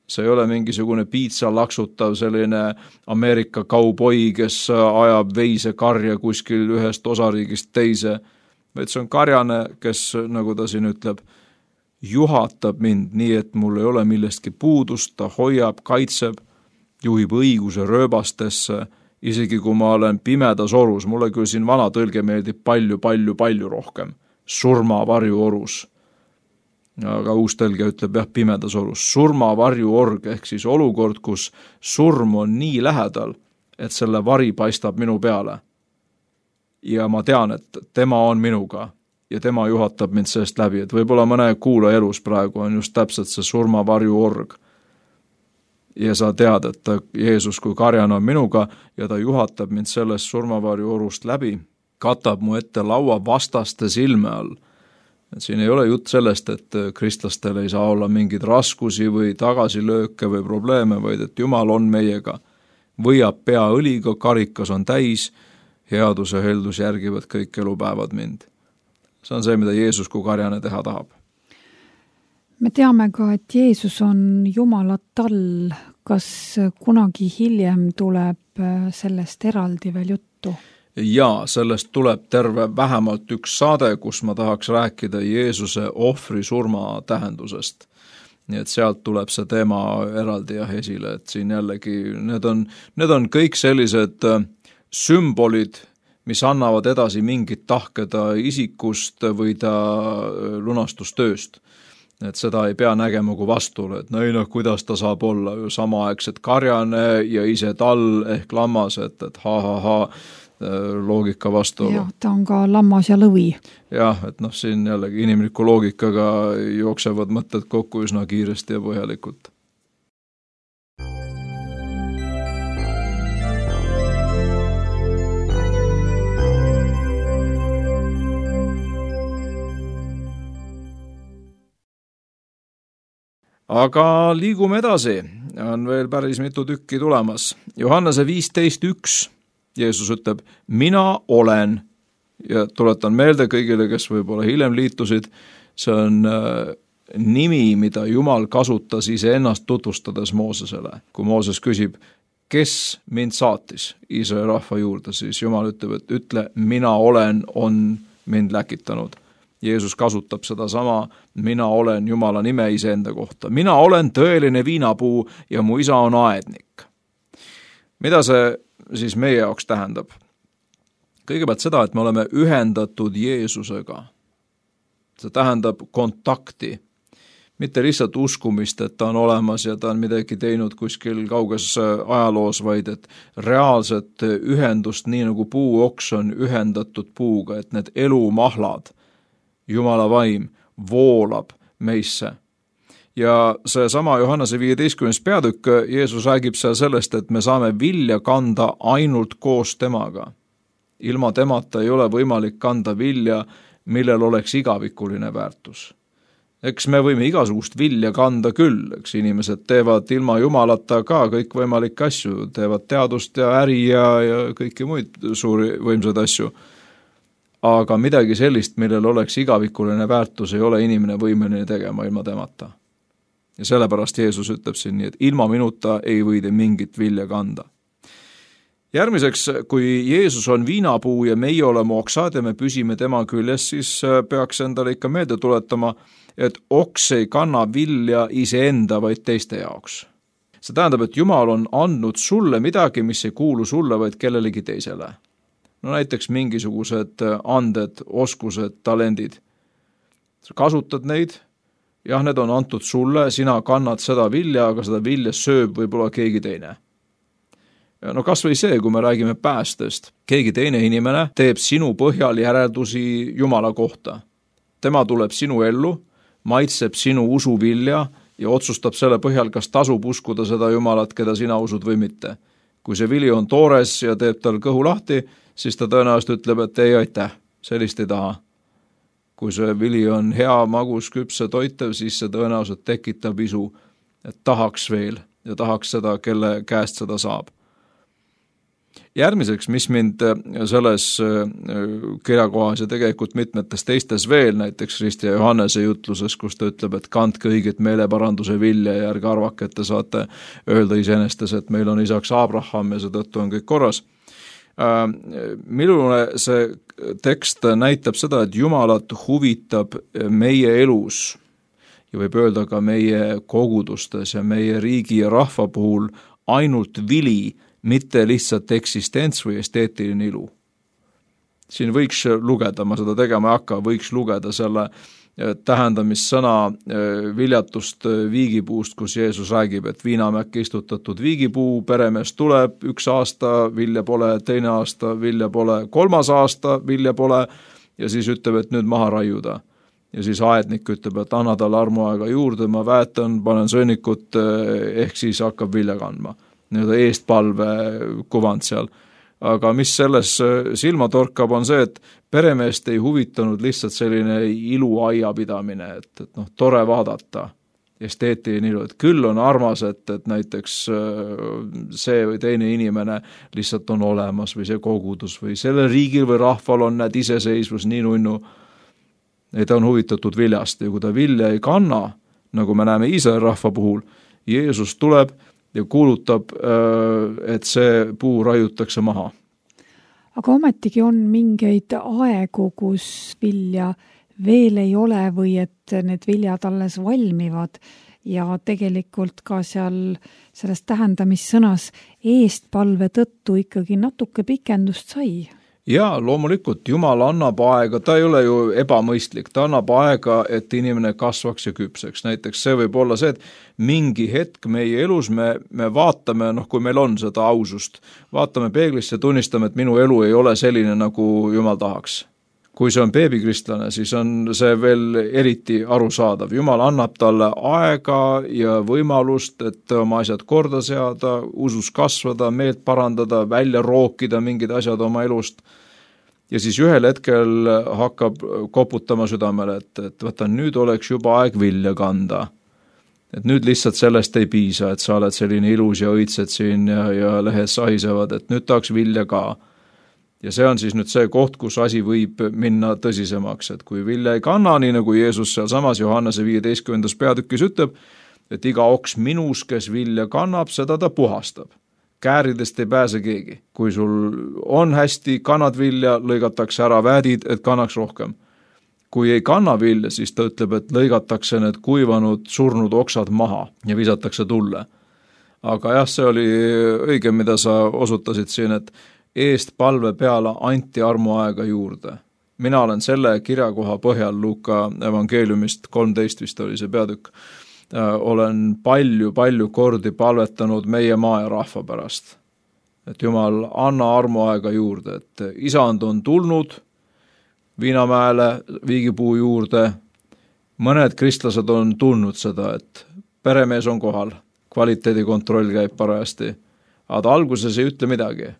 see ei ole mingisugune piitsa laksutav selline Ameerika kauboi, kes ajab veise karja kuskil ühest osariigist teise, vaid see on karjane, kes, nagu ta siin ütleb, juhatab mind nii, et mul ei ole millestki puudust, ta hoiab, kaitseb, juhib õiguse rööbastesse, isegi kui ma olen pimedas orus, mulle küll siin vana tõlge meeldib palju rohkem, surmavarju orus. Aga uus tõlge ütleb pimedas orus, surmavarju org, ehk siis olukord, kus surm on nii lähedal, et selle vari paistab minu peale. Ja ma tean, et tema on minuga. Ja tema juhatab mind sellest läbi, et võib-olla mõne kuula elus praegu on just täpselt see surmavarju org. Ja sa tead, et Jeesus kui karjana on minuga ja ta juhatab mind sellest surmavarju orust läbi, katab mu ette laua vastaste silme all. Et siin ei ole jutt sellest, et kristlastel ei saa olla mingeid raskusi või tagasilööke või probleeme, vaid et Jumal on meiega, võiab pea õliga, karikas on täis, headus ja heldus järgivad kõik elupäevad mind. See on see, mida Jeesus kui karjane teha tahab. Me teame ka, et Jeesus on Jumala tall. Kas kunagi hiljem tuleb sellest eraldi veel juttu? Ja sellest tuleb terve vähemalt üks saade, kus ma tahaks rääkida Jeesuse ohvri surma tähendusest. Nii et sealt tuleb see teema eraldi ja esile, et siin jällegi need on kõik sellised sümbolid, mis annavad edasi mingit tahke ta isikust või ta lunastustööst. Et seda ei pea nägema kui vastuolu, et kuidas ta saab olla ju samaaegselt karjane ja ise tall ehk lammas, et loogika vastuolu. Jah, ta on ka lammas ja lõvi. Jah, et siin jällegi inimliku loogikaga jooksevad mõtted kokku üsna kiiresti ja põhjalikult. Aga liigume edasi, on veel päris mitu tükki tulemas. Johannese 15.1 Jeesus ütleb, mina olen, ja tuletan meelde kõigile, kes võib-olla hiljem liitusid, see on nimi, mida Jumal kasutas iseennast tutvustades Moosesele. Kui Mooses küsib, kes mind saatis Iisraeli rahva juurde, siis Jumal ütleb, et ütle, mina olen, on mind läkitanud. Jeesus kasutab seda sama, mina olen Jumala nime iseenda kohta. Mina olen tõeline viinapuu ja mu isa on aednik. Mida see siis meie jaoks tähendab? Kõigepealt seda, et me oleme ühendatud Jeesusega. See tähendab kontakti. Mitte lihtsalt uskumist, et ta on olemas ja ta on midagi teinud kuskil kauges ajaloos, vaid et reaalset ühendust, nii nagu puuoks on ühendatud puuga, et need elumahlad, Jumala vaim voolab meisse. Ja see sama Johannese 15. peatükk, Jeesus räägib seal sellest, et me saame vilja kanda ainult koos temaga. Ilma temata ei ole võimalik kanda vilja, millel oleks igavikuline väärtus. Eks me võime igasugust vilja kanda küll, eks inimesed teevad ilma Jumalata ka kõik võimalikke asju, teevad teadust ja äri ja kõiki muid suuri võimsaid asju. Aga midagi sellist, millel oleks igavikuline väärtus, ei ole inimene võimeline tegema ilma temata. Ja sellepärast Jeesus ütleb siin nii, et ilma minuta ei või te mingit vilja kanda. Järgmiseks, kui Jeesus on viinapuu ja meie oleme oksad ja me püsime tema küljes, siis peaks endale ikka meelde tuletama, et oks ei kanna vilja iseenda, vaid teiste jaoks. See tähendab, et Jumal on andnud sulle midagi, mis ei kuulu sulle, vaid kellelegi teisele. No näiteks mingisugused anded, oskused, talendid. Sa kasutad neid, jah, need on antud sulle, sina kannad seda vilja, aga seda vilja sööb võib-olla keegi teine. No kas või see, kui me räägime päästest. Keegi teine inimene teeb sinu põhjal järeldusi Jumala kohta. Tema tuleb sinu ellu, maitseb sinu usuvilja ja otsustab selle põhjal, kas tasub uskuda seda Jumalat, keda sina usud või mitte. Kui see vili on toores ja teeb tal kõhu lahti, siis ta tõenäoliselt ütleb, et ei aitäh, sellist ei taha. Kui see vili on hea, magus, küpse, toitev, siis see tõenäoliselt tekitab isu, et tahaks veel ja tahaks seda, kelle käest seda saab. Järgmiseks, mis mind selles kirjakohas ja tegelikult mitmetes teistes veel, näiteks Risti ja Johannese jutluses, kus ta ütleb, et kandke õiget meeleparanduse vilja ja ärge arvake, et te saate öelda iseenestes, et meil on isaks Abraham ja seetõttu on kõik korras. Minule see tekst näitab seda, et Jumalat huvitab meie elus ja võib öelda ka meie kogudustes ja meie riigi ja rahva puhul ainult vili, mitte lihtsalt eksistents või esteetiline ilu. Siin võiks lugeda, ma seda tegema ei hakka, võiks lugeda selle tähendamissõna viljatust viigipuust, kus Jeesus räägib, et viinamäkke istutatud viigipuu, peremees tuleb, 1 aasta vilja pole, 2 aasta vilja pole, 3 aasta vilja pole ja siis ütleb, et nüüd maha raiuda. Ja siis aednik ütleb, et anna talle armuaega juurde, ma väetan, panen sõnnikut, ehk siis hakkab vilja kandma. Eestpalve kuvand seal. aga mis selles silma torkab, on see, et peremeest ei huvitanud lihtsalt selline iluaia pidamine, et tore vaadata, esteetiline ilu, et küll on armas, et näiteks see või teine inimene lihtsalt on olemas või see kogudus või sellel riigil või rahval on need iseseisvus nii nunnu. Ei, ta on huvitatud viljast ja kui ta vilja ei kanna, nagu me näeme Iisraeli rahva puhul, Jeesus tuleb ja kuulutab, et see puu raiutakse maha. Aga ometigi on mingeid aegu, kus vilja veel ei ole või et need viljad alles valmivad ja tegelikult ka selles tähendamissõnas eestpalve tõttu ikkagi natuke pikendust sai. Jaa, loomulikult, Jumal annab aega, ta ei ole ju ebamõistlik, ta annab aega, et inimene kasvaks ja küpseks. Näiteks see võib olla see, et mingi hetk meie elus me vaatame, kui meil on seda ausust, vaatame peeglisse ja tunnistame, et minu elu ei ole selline, nagu Jumal tahaks. Kui see on beebikristlane, siis on see veel eriti arusaadav. Jumal annab talle aega ja võimalust, et oma asjad korda seada, usus kasvada, meelt parandada, välja rookida mingid asjad oma elust. Ja siis ühel hetkel hakkab koputama südamele, et võta, nüüd oleks juba aeg vilja kanda. Et nüüd lihtsalt sellest ei piisa, et sa oled selline ilus ja õitsed siin ja lehed sahisevad, et nüüd tahaks vilja ka. Ja see on siis nüüd see koht, kus asi võib minna tõsisemaks, et kui vilja ei kanna, nii nagu Jeesus seal samas Johannese 15. peatükis ütleb, et iga oks minus, kes vilja kannab, seda ta puhastab. Kääridest ei pääse keegi. Kui sul on hästi, kannad vilja, lõigatakse ära väädid, et kannaks rohkem. Kui ei kanna vilja, siis ta ütleb, et lõigatakse need kuivanud, surnud oksad maha ja visatakse tulle. Aga jah, see oli õige, mida sa osutasid siin, et eest palve peale anti armuaega juurde. Mina olen selle kirjakoha põhjal Luuka evangeeliumist 13 vist oli see peatükk. Olen palju kordi palvetanud meie maa ja rahva pärast. Et Jumal, anna armuaega juurde, et isand on tulnud Viinamäele viigipuu juurde. Mõned kristlased on tulnud seda, et peremees on kohal, kvaliteedikontroll käib parajasti, aga alguses ei ütle midagi.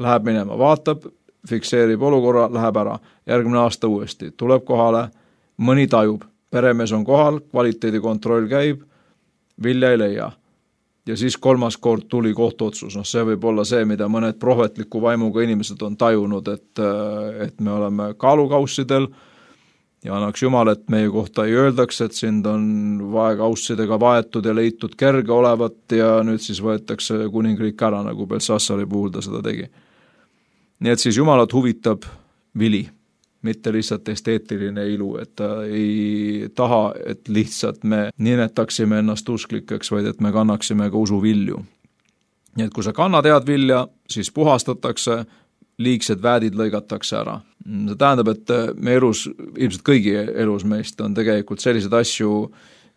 Läheb minema, vaatab, fikseerib olukorra, läheb ära. Järgmine aasta uuesti, tuleb kohale, mõni tajub, peremees on kohal, kvaliteedikontroll käib, vilja ei leia. Ja siis 3. kord tuli kohtuotsus. See võib olla see, mida mõned prohvetliku vaimuga inimesed on tajunud, et me oleme kaalukaussidel ja annaks Jumal, et meie kohta ei öeldaks, et sind on vaekaussidega vaetud ja leitud kerge olevat ja nüüd siis võetakse kuningriik ära, nagu Belsassari puhul ta seda tegi. Nii et siis Jumalat huvitab vili, mitte lihtsalt esteetiline ilu, et ta ei taha, et lihtsalt me nimetaksime ennast usklikeks, vaid et me kannaksime ka usu vilju. Nii et kui sa kannad head vilja, siis puhastatakse, liigsed väädid lõigatakse ära. See tähendab, et me elus, ilmselt kõigi elus meist on tegelikult sellised asju,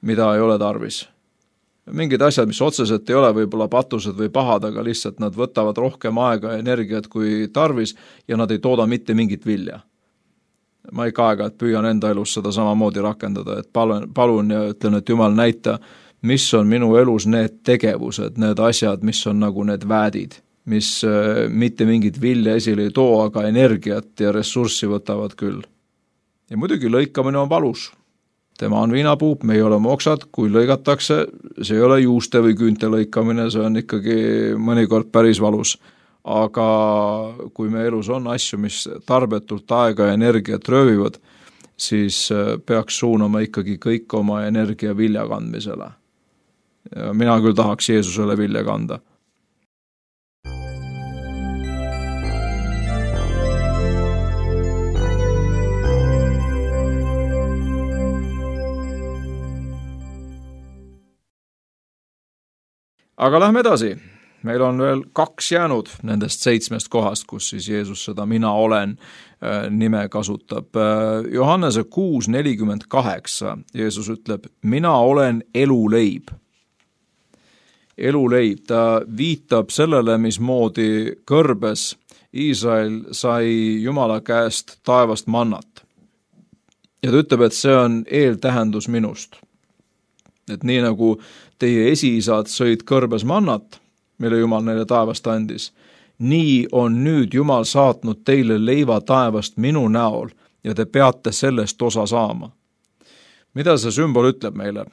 mida ei ole tarvis. Mingid asjad, mis otseselt ei ole võib-olla patused või pahad, aga lihtsalt nad võtavad rohkem aega ja energiat kui tarvis ja nad ei tooda mitte mingit vilja. Ma ikka aeg-ajalt püüan enda elus seda samamoodi rakendada, et palun ja ütlen, et Jumal näita, mis on minu elus need tegevused, need asjad, mis on nagu need väädid, mis mitte mingit vilja esile ei too, aga energiat ja ressurssi võtavad küll. Ja muidugi lõikamine on valus. Tema on viinapuup, me ei ole oksad, kui lõigatakse, see ei ole juuste või küünte lõikamine, see on ikkagi mõnikord päris valus. Aga kui me elus on asju, mis tarbetult aega ja energiat röövivad, siis peaks suunama ikkagi kõik oma energia vilja kandmisele. Ja mina küll tahaks Jeesusele vilja kanda. Aga lähme edasi. Meil on veel 2 jäänud nendest 7 kohast, kus siis Jeesus seda mina olen nime kasutab. Johannese 6:48 Jeesus ütleb, mina olen eluleib. Eluleib, ta viitab sellele, mismoodi kõrbes Iisrael sai Jumala käest taevast mannat. Ja ta ütleb, et see on eeltähendus minust. Et nii nagu teie esiisad sõid kõrbes mannat, mille Jumal neile taevast andis, nii on nüüd Jumal saatnud teile leiva taevast minu näol ja te peate sellest osa saama. Mida see sümbol ütleb meile?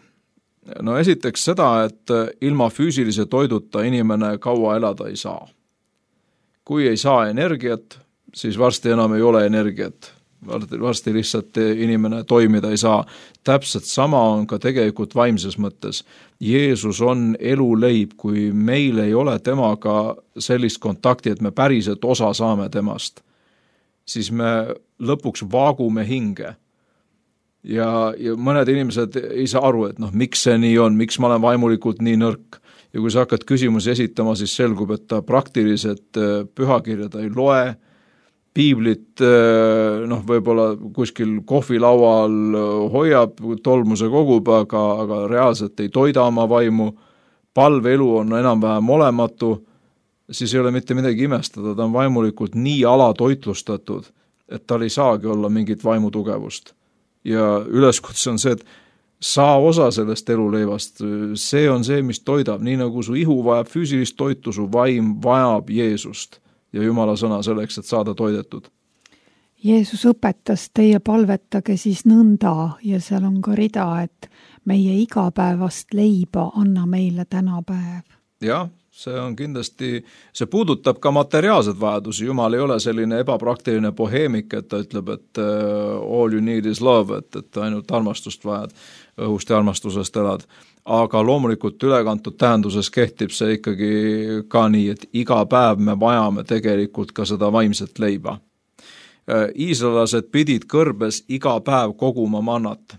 No esiteks seda, et ilma füüsilise toiduta inimene kaua elada ei saa. Kui ei saa energiat, siis varsti enam ei ole energiat. Varsti lihtsalt inimene toimida ei saa. Täpselt sama on ka tegelikult vaimses mõttes. Jeesus on eluleib, kui meil ei ole temaga sellist kontakti, et me päriselt osa saame temast, siis me lõpuks vaagume hinge. Ja mõned inimesed ei saa aru, et miks see nii on, miks ma olen vaimulikult nii nõrk. Ja kui sa hakkad küsimusi esitama, siis selgub, et ta praktiliselt pühakirjad ei loe, piiblit võib-olla kuskil kohvilaual hoiab, tolmuse kogub, aga reaalselt ei toida oma vaimu, palveelu on enam-vähem olematu, siis ei ole mitte midagi imestada, ta on vaimulikult nii alatoitlustatud, et tal ei saagi olla mingit vaimutugevust. Ja üleskutse on see, et saa osa sellest eluleivast, see on see, mis toidab, nii nagu su ihu vajab füüsilist toitu, su vaim vajab Jeesust ja Jumala sõna selleks, et saada toidetud. Jeesus õpetas, teie palvetage siis nõnda ja seal on ka rida, et meie igapäevast leiba anna meile täna päev. Jah, see on kindlasti, see puudutab ka materiaalsed vajadusi. Jumal ei ole selline ebapraktiline boheemik, et ta ütleb, et all you need is love, et ainult armastust vajad, õhust ja armastusest elad. Aga loomulikult ülekantud tähenduses kehtib see ikkagi ka nii, et iga päev me vajame tegelikult ka seda vaimset leiba. Iisraelased pidid kõrbes iga päev koguma mannat.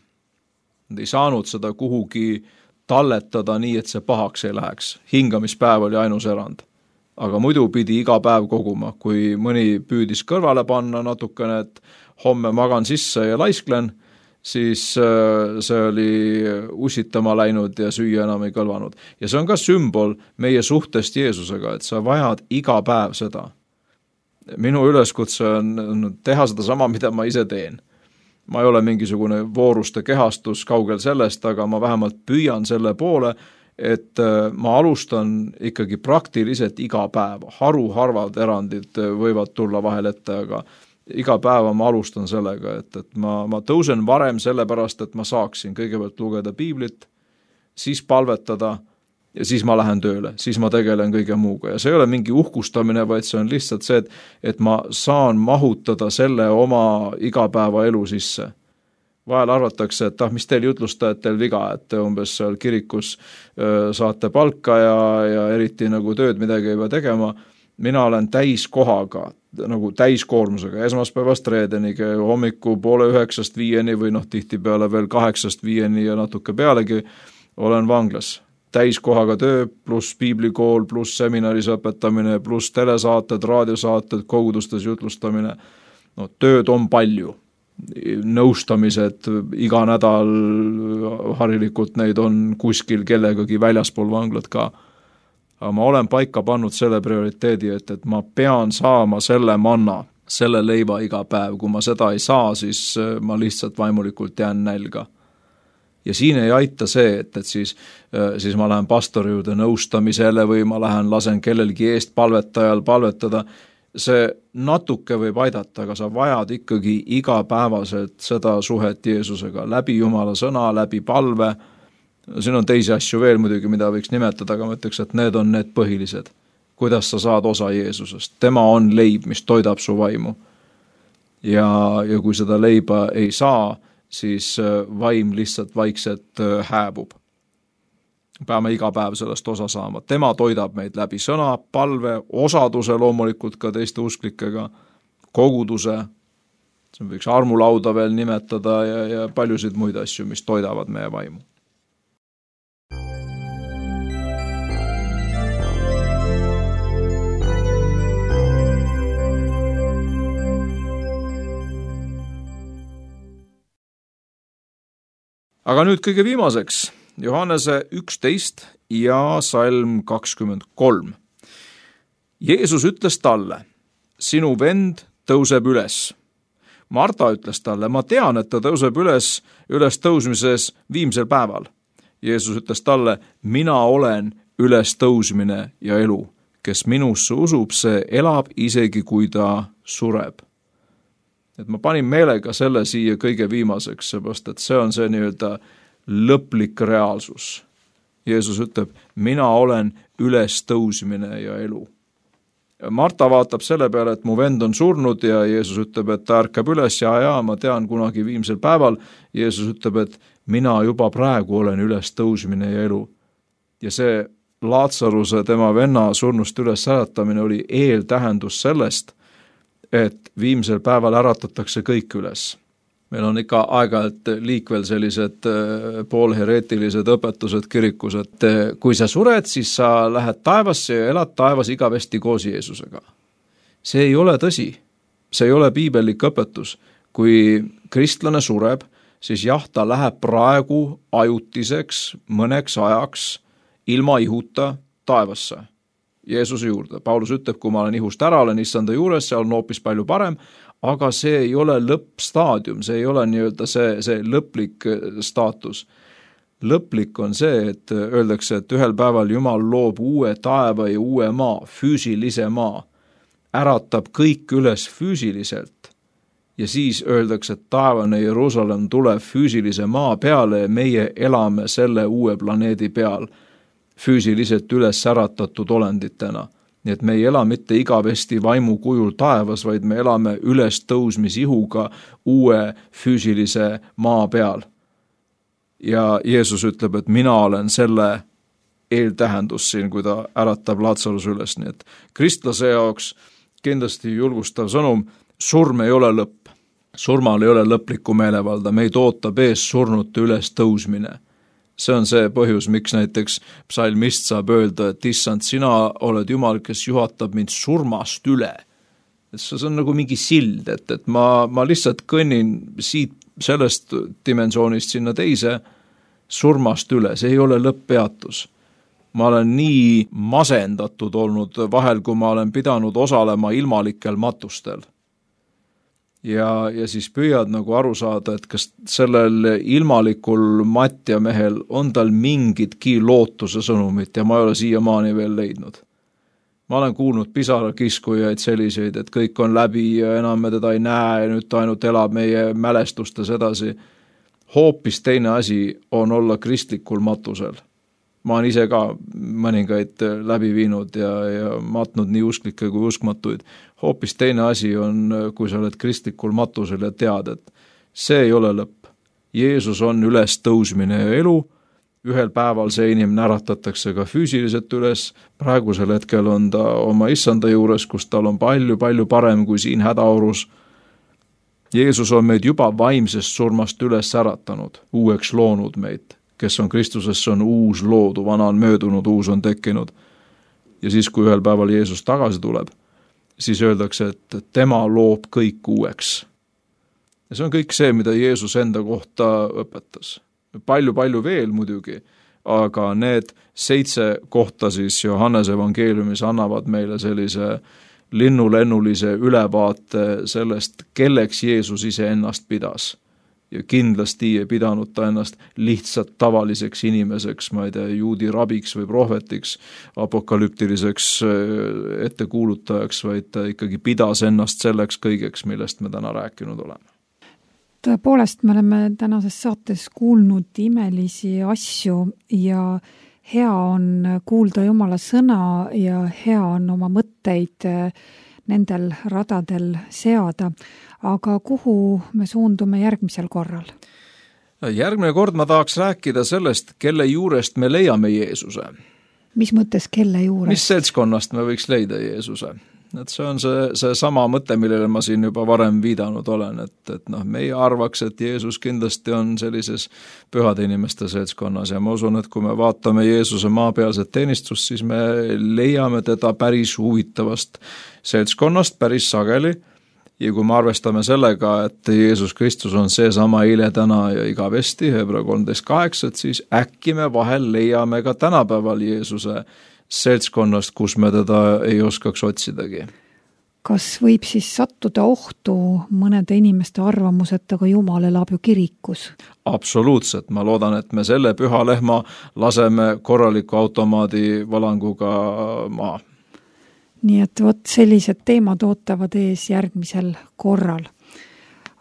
Nad ei saanud seda kuhugi talletada nii, et see pahaks ei läheks. Hingamispäev oli ainus erand. Aga muidu pidi iga päev koguma. Kui mõni püüdis kõrvale panna natukene, et homme magan sisse ja laisklen, siis see oli ussitama läinud ja süüa enam ei kõlvanud. Ja see on ka sümbol meie suhtest Jeesusega, et sa vajad iga päev seda. Minu üleskutse on teha seda sama, mida ma ise teen. Ma ei ole mingisugune vooruste kehastus kaugel sellest, aga ma vähemalt püüan selle poole, et ma alustan ikkagi praktiliselt iga päev. Haruharvad erandid võivad tulla vahel ette, aga iga päeva ma alustan sellega, et ma tõusen varem sellepärast, et ma saaksin kõigepealt lugeda piiblit, siis palvetada ja siis ma lähen tööle, siis ma tegelen kõige muuga. Ja see ei ole mingi uhkustamine, vaid see on lihtsalt see, et ma saan mahutada selle oma igapäeva elu sisse. Vahel arvatakse, et mis teil jutlustajatel viga, et te umbes seal kirikus saate palka ja eriti nagu tööd midagi ei pea tegema. Mina olen täiskohaga, nagu täiskoormusega, esmaspäevast reedeniga, hommiku 8:30 5 või tihtipeale veel 8 5 ja natuke pealegi olen vanglas. Täiskohaga töö, pluss piiblikool, pluss seminaris õpetamine, pluss telesaated, raadiosaated, kogudustes jutlustamine. Tööd on palju. Nõustamised iga nädal harilikult neid on kuskil kellegagi väljaspool vanglat ka. Aga ma olen paika pannud selle prioriteedi, et ma pean saama selle manna, selle leiva iga päev. Kui ma seda ei saa, siis ma lihtsalt vaimulikult jään nälga. Ja siin ei aita see, et siis ma lähen pastori juurde nõustamisele või ma lasen kellelgi eest palvetajal palvetada. See natuke võib aidata, aga sa vajad ikkagi igapäevaselt seda suhet Jeesusega, läbi Jumala sõna, läbi palve. Siin on teisi asju veel muidugi, mida võiks nimetada, aga ma ütleks, et need on need põhilised. Kuidas sa saad osa Jeesusest? Tema on leib, mis toidab su vaimu. Ja kui seda leiba ei saa, siis vaim lihtsalt vaikselt hääbub. Peame iga päev sellest osa saama. Tema toidab meid läbi sõna, palve, osaduse loomulikult ka teiste usklikega, koguduse, see võiks armulauda veel nimetada ja paljusid muid asju, mis toidavad meie vaimu. Aga nüüd kõige viimaseks, Johannese 11 ja salm 23. Jeesus ütles talle, sinu vend tõuseb üles. Marta ütles talle, ma tean, et ta tõuseb üles tõusmises viimsel päeval. Jeesus ütles talle, mina olen üles tõusmine ja elu. kes minusse usub, see elab isegi, kui ta sureb. Et ma panin meelega selle siia kõige viimaseks, seepärast, et see on see nii-öelda lõplik reaalsus. Jeesus ütleb, mina olen ülestõusmine ja elu. Marta vaatab selle peale, et mu vend on surnud ja Jeesus ütleb, et ta ärkab üles ja ma tean kunagi viimsel päeval. Jeesus ütleb, et mina juba praegu olen ülestõusmine ja elu. Ja see Laatsaruse tema venna surnust üles äratamine oli eeltähendus sellest, et viimsel päeval äratatakse kõik üles. Meil on ikka aeg-ajalt liikvel sellised poolhereetilised õpetused kirikus, et kui sa sured, siis sa lähed taevasse ja elad taevas igavesti koos Jeesusega. See ei ole tõsi. See ei ole piibellik õpetus. Kui kristlane sureb, siis jah, ta läheb praegu ajutiseks mõneks ajaks ilma ihuta taevasse, Jeesuse juurde. Paulus ütleb, kui ma olen ihust ära, olen issanda juures, seal on hoopis palju parem, aga see ei ole lõppstaadium, see ei ole nii-öelda see lõplik staatus. Lõplik on see, et öeldakse, et ühel päeval Jumal loob uue taeva ja uue maa, füüsilise maa, äratab kõik üles füüsiliselt ja siis öeldakse, et taevane Jeruusalemm tuleb füüsilise maa peale ja meie elame selle uue planeedi peal füüsiliselt üles äratatud olenditena. Nii et me ei ela mitte igavesti vaimu kujul taevas, vaid me elame üles tõusmisihuga uue füüsilise maa peal. Ja Jeesus ütleb, et mina olen selle eeltähendus siin, kui ta äratab Laatsaruse üles. Nii et kristlase jaoks kindlasti julgustav sõnum, surm ei ole lõpp. Surmal ei ole lõplikku meelevalda, meid ootab ees surnute üles tõusmine. See on see põhjus, miks näiteks psalmist saab öelda, et issand, sina oled Jumal, kes juhatab mind surmast üle. Et see on nagu mingi sild, et ma lihtsalt kõnnin siit sellest dimensioonist sinna teise surmast üle, see ei ole lõpppeatus. Ma olen nii masendatud olnud vahel, kui ma olen pidanud osalema ilmalikel matustel. Ja siis püüad nagu aru saada, et kas sellel ilmalikul matjamehel on tal mingitki lootuse sõnumit ja ma ei ole siiamaani veel leidnud. Ma olen kuulnud pisarakiskujaid selliseid, et kõik on läbi ja enam me teda ei näe ja nüüd ta ainult elab meie mälestustes edasi. Hoopis teine asi on olla kristlikul matusel. Ma olen ise ka mõningaid läbi viinud ja matnud nii usklikke kui uskmatuid. Hoopis teine asi on, kui sa oled kristlikul matusel ja tead, et see ei ole lõpp. Jeesus on üles tõusmine ja elu. Ühel päeval see inimene äratatakse ka füüsiliselt üles. Praegusel hetkel on ta oma issanda juures, kus tal on palju parem kui siin hädaorus. Jeesus on meid juba vaimsest surmast üles äratanud, uueks loonud meid. Kes on Kristuses, on uus loodu, vana on möödunud, uus on tekkinud. Ja siis, kui ühel päeval Jeesus tagasi tuleb, siis öeldakse, et tema loob kõik uueks. Ja see on kõik see, mida Jeesus enda kohta õpetas. Palju veel muidugi, aga need 7 kohta siis Johannese evangeeliumis annavad meile sellise linnulennulise ülevaate sellest, kelleks Jeesus ise ennast pidas. Ja kindlasti ei pidanud ta ennast lihtsalt tavaliseks inimeseks, ma ei tea, juudi rabiks või prohvetiks, apokalüptiliseks ettekuulutajaks, vaid ta ikkagi pidas ennast selleks kõigeks, millest me täna rääkinud oleme. Tõepoolest, me oleme tänases saates kuulnud imelisi asju ja hea on kuulda Jumala sõna ja hea on oma mõtteid nendel radadel seada. Aga kuhu me suundume järgmisel korral? Järgmine kord ma tahaks rääkida sellest, kelle juurest me leiame Jeesuse. Mis mõttes kelle juurest? Mis seltskonnast me võiks leida Jeesuse? Et see on see sama mõte, millele ma siin juba varem viidanud olen, et meie arvaks, et Jeesus kindlasti on sellises pühade inimeste seltskonnas ja ma usun, et kui me vaatame Jeesuse maapealset teenistust, siis me leiame teda päris huvitavast seltskonnast, päris sageli. Ja kui me arvestame sellega, et Jeesus Kristus on see sama eile, täna ja igavesti, Hebra 13.8, siis äkki me vahel leiame ka tänapäeval Jeesuse seltskonnast, kus me teda ei oskaks otsidagi. Kas võib siis sattuda ohtu mõnede inimeste arvamus, et aga Jumal elab ju kirikus? Absoluutselt. Ma loodan, et me selle püha lehma laseme korraliku automaadi valanguga maha. nii et vot sellised teemad ootavad ees järgmisel korral.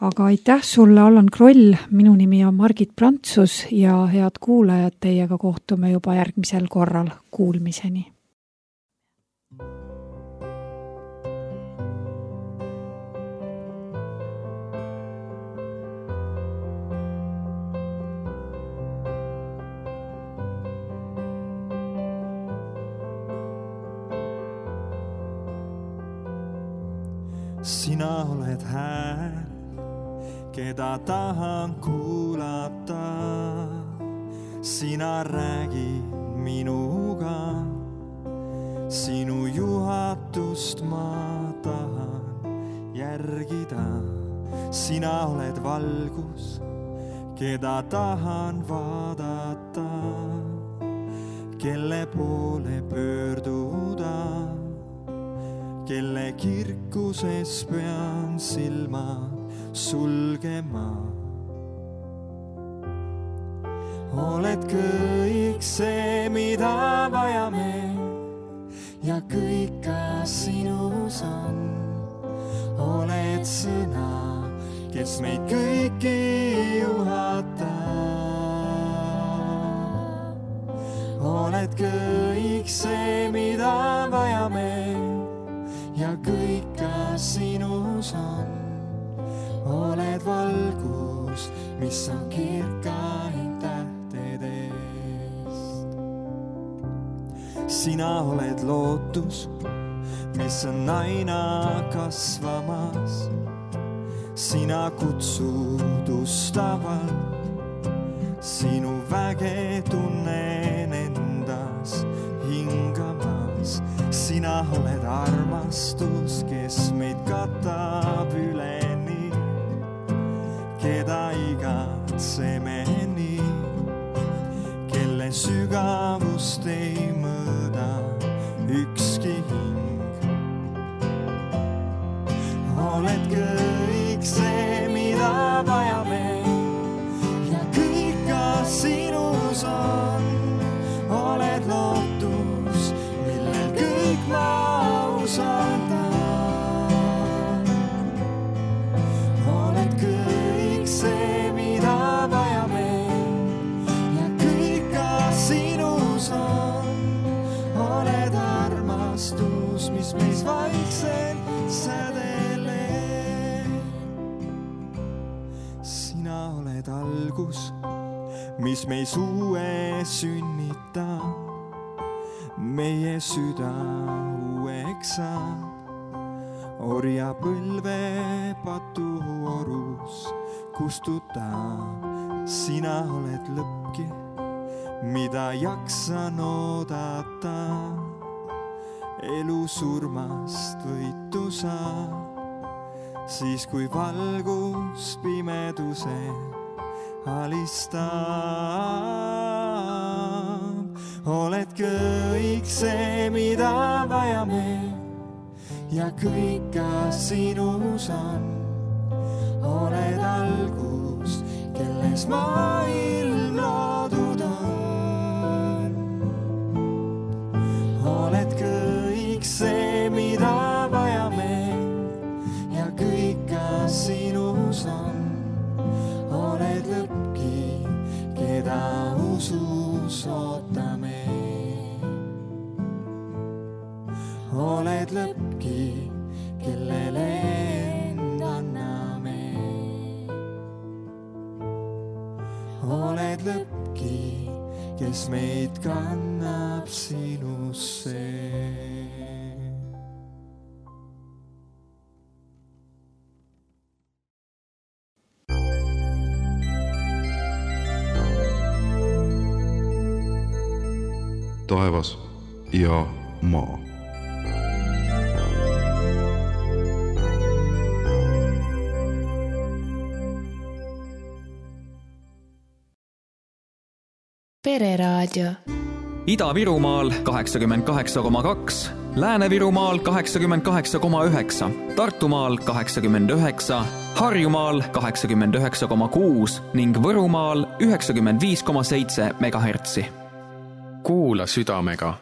Aga aitäh sulle, Allan Kroll, minu nimi on Margit Prantsus ja head kuulajad, teiega kohtume juba järgmisel korral. Kuulmiseni! Sina oled hääl, keda tahan kuulata. Sina räägid minuga, sinu juhatust ma tahan järgida. Sina oled valgus, keda tahan vaadata, kelle poole pöörduda, kelle kirkuses pean silmad sulgema. Oled kõik see, mida vajame ja kõik ka sinus on. Oled sõna, kes meid kõiki juhata. Oled kõik see, mida vajame ja kõik ka sinus on. Oled valgus, mis on kirkaim tähtedest. Sina oled lootus, mis on aina kasvamas. Sina kutsud ustavalt, sinu väge tunnen endas hingamas. Sina oled armastus, kes meid katab üleni, keda igatseme nii, kelle sügavust ei mõõda ükski hing. Oled kõik see, mida vajame ja kõik ka sinus on. Oled lootus, millel kõik ma usaldan. Oled kõik see, mida vajame ja kõik ka sinus on. Oled armastus, mis meis vaikselt sädeleb. Sina oled algus, mis meis uue sünnitab. Meie süda uueks saab, orja põlve patuorus kustutab. Sina oled lõppki, mida jaksan oodata. Elu surmast võitu saab, siis kui valgus pimeduse alistab. Oled kõik see, mida vajame ja kõik ka sinus on. Oled algus, kelles maailm loodud on. Oled kõik see, mida vajame ja kõik ka sinus on. Oled lõppki, keda usus ootame. Oled lõppki, kellele end anname. Oled lõppki, kes meid kannab sinusse. Taevas ja maa. Pereraadio. Ida-Virumaal 88,2, Lääne-Virumaal 88,9, Tartumaal 89, Harjumaal 89,6 ning Võrumaal 95,7 megahertsi. Kuula südamega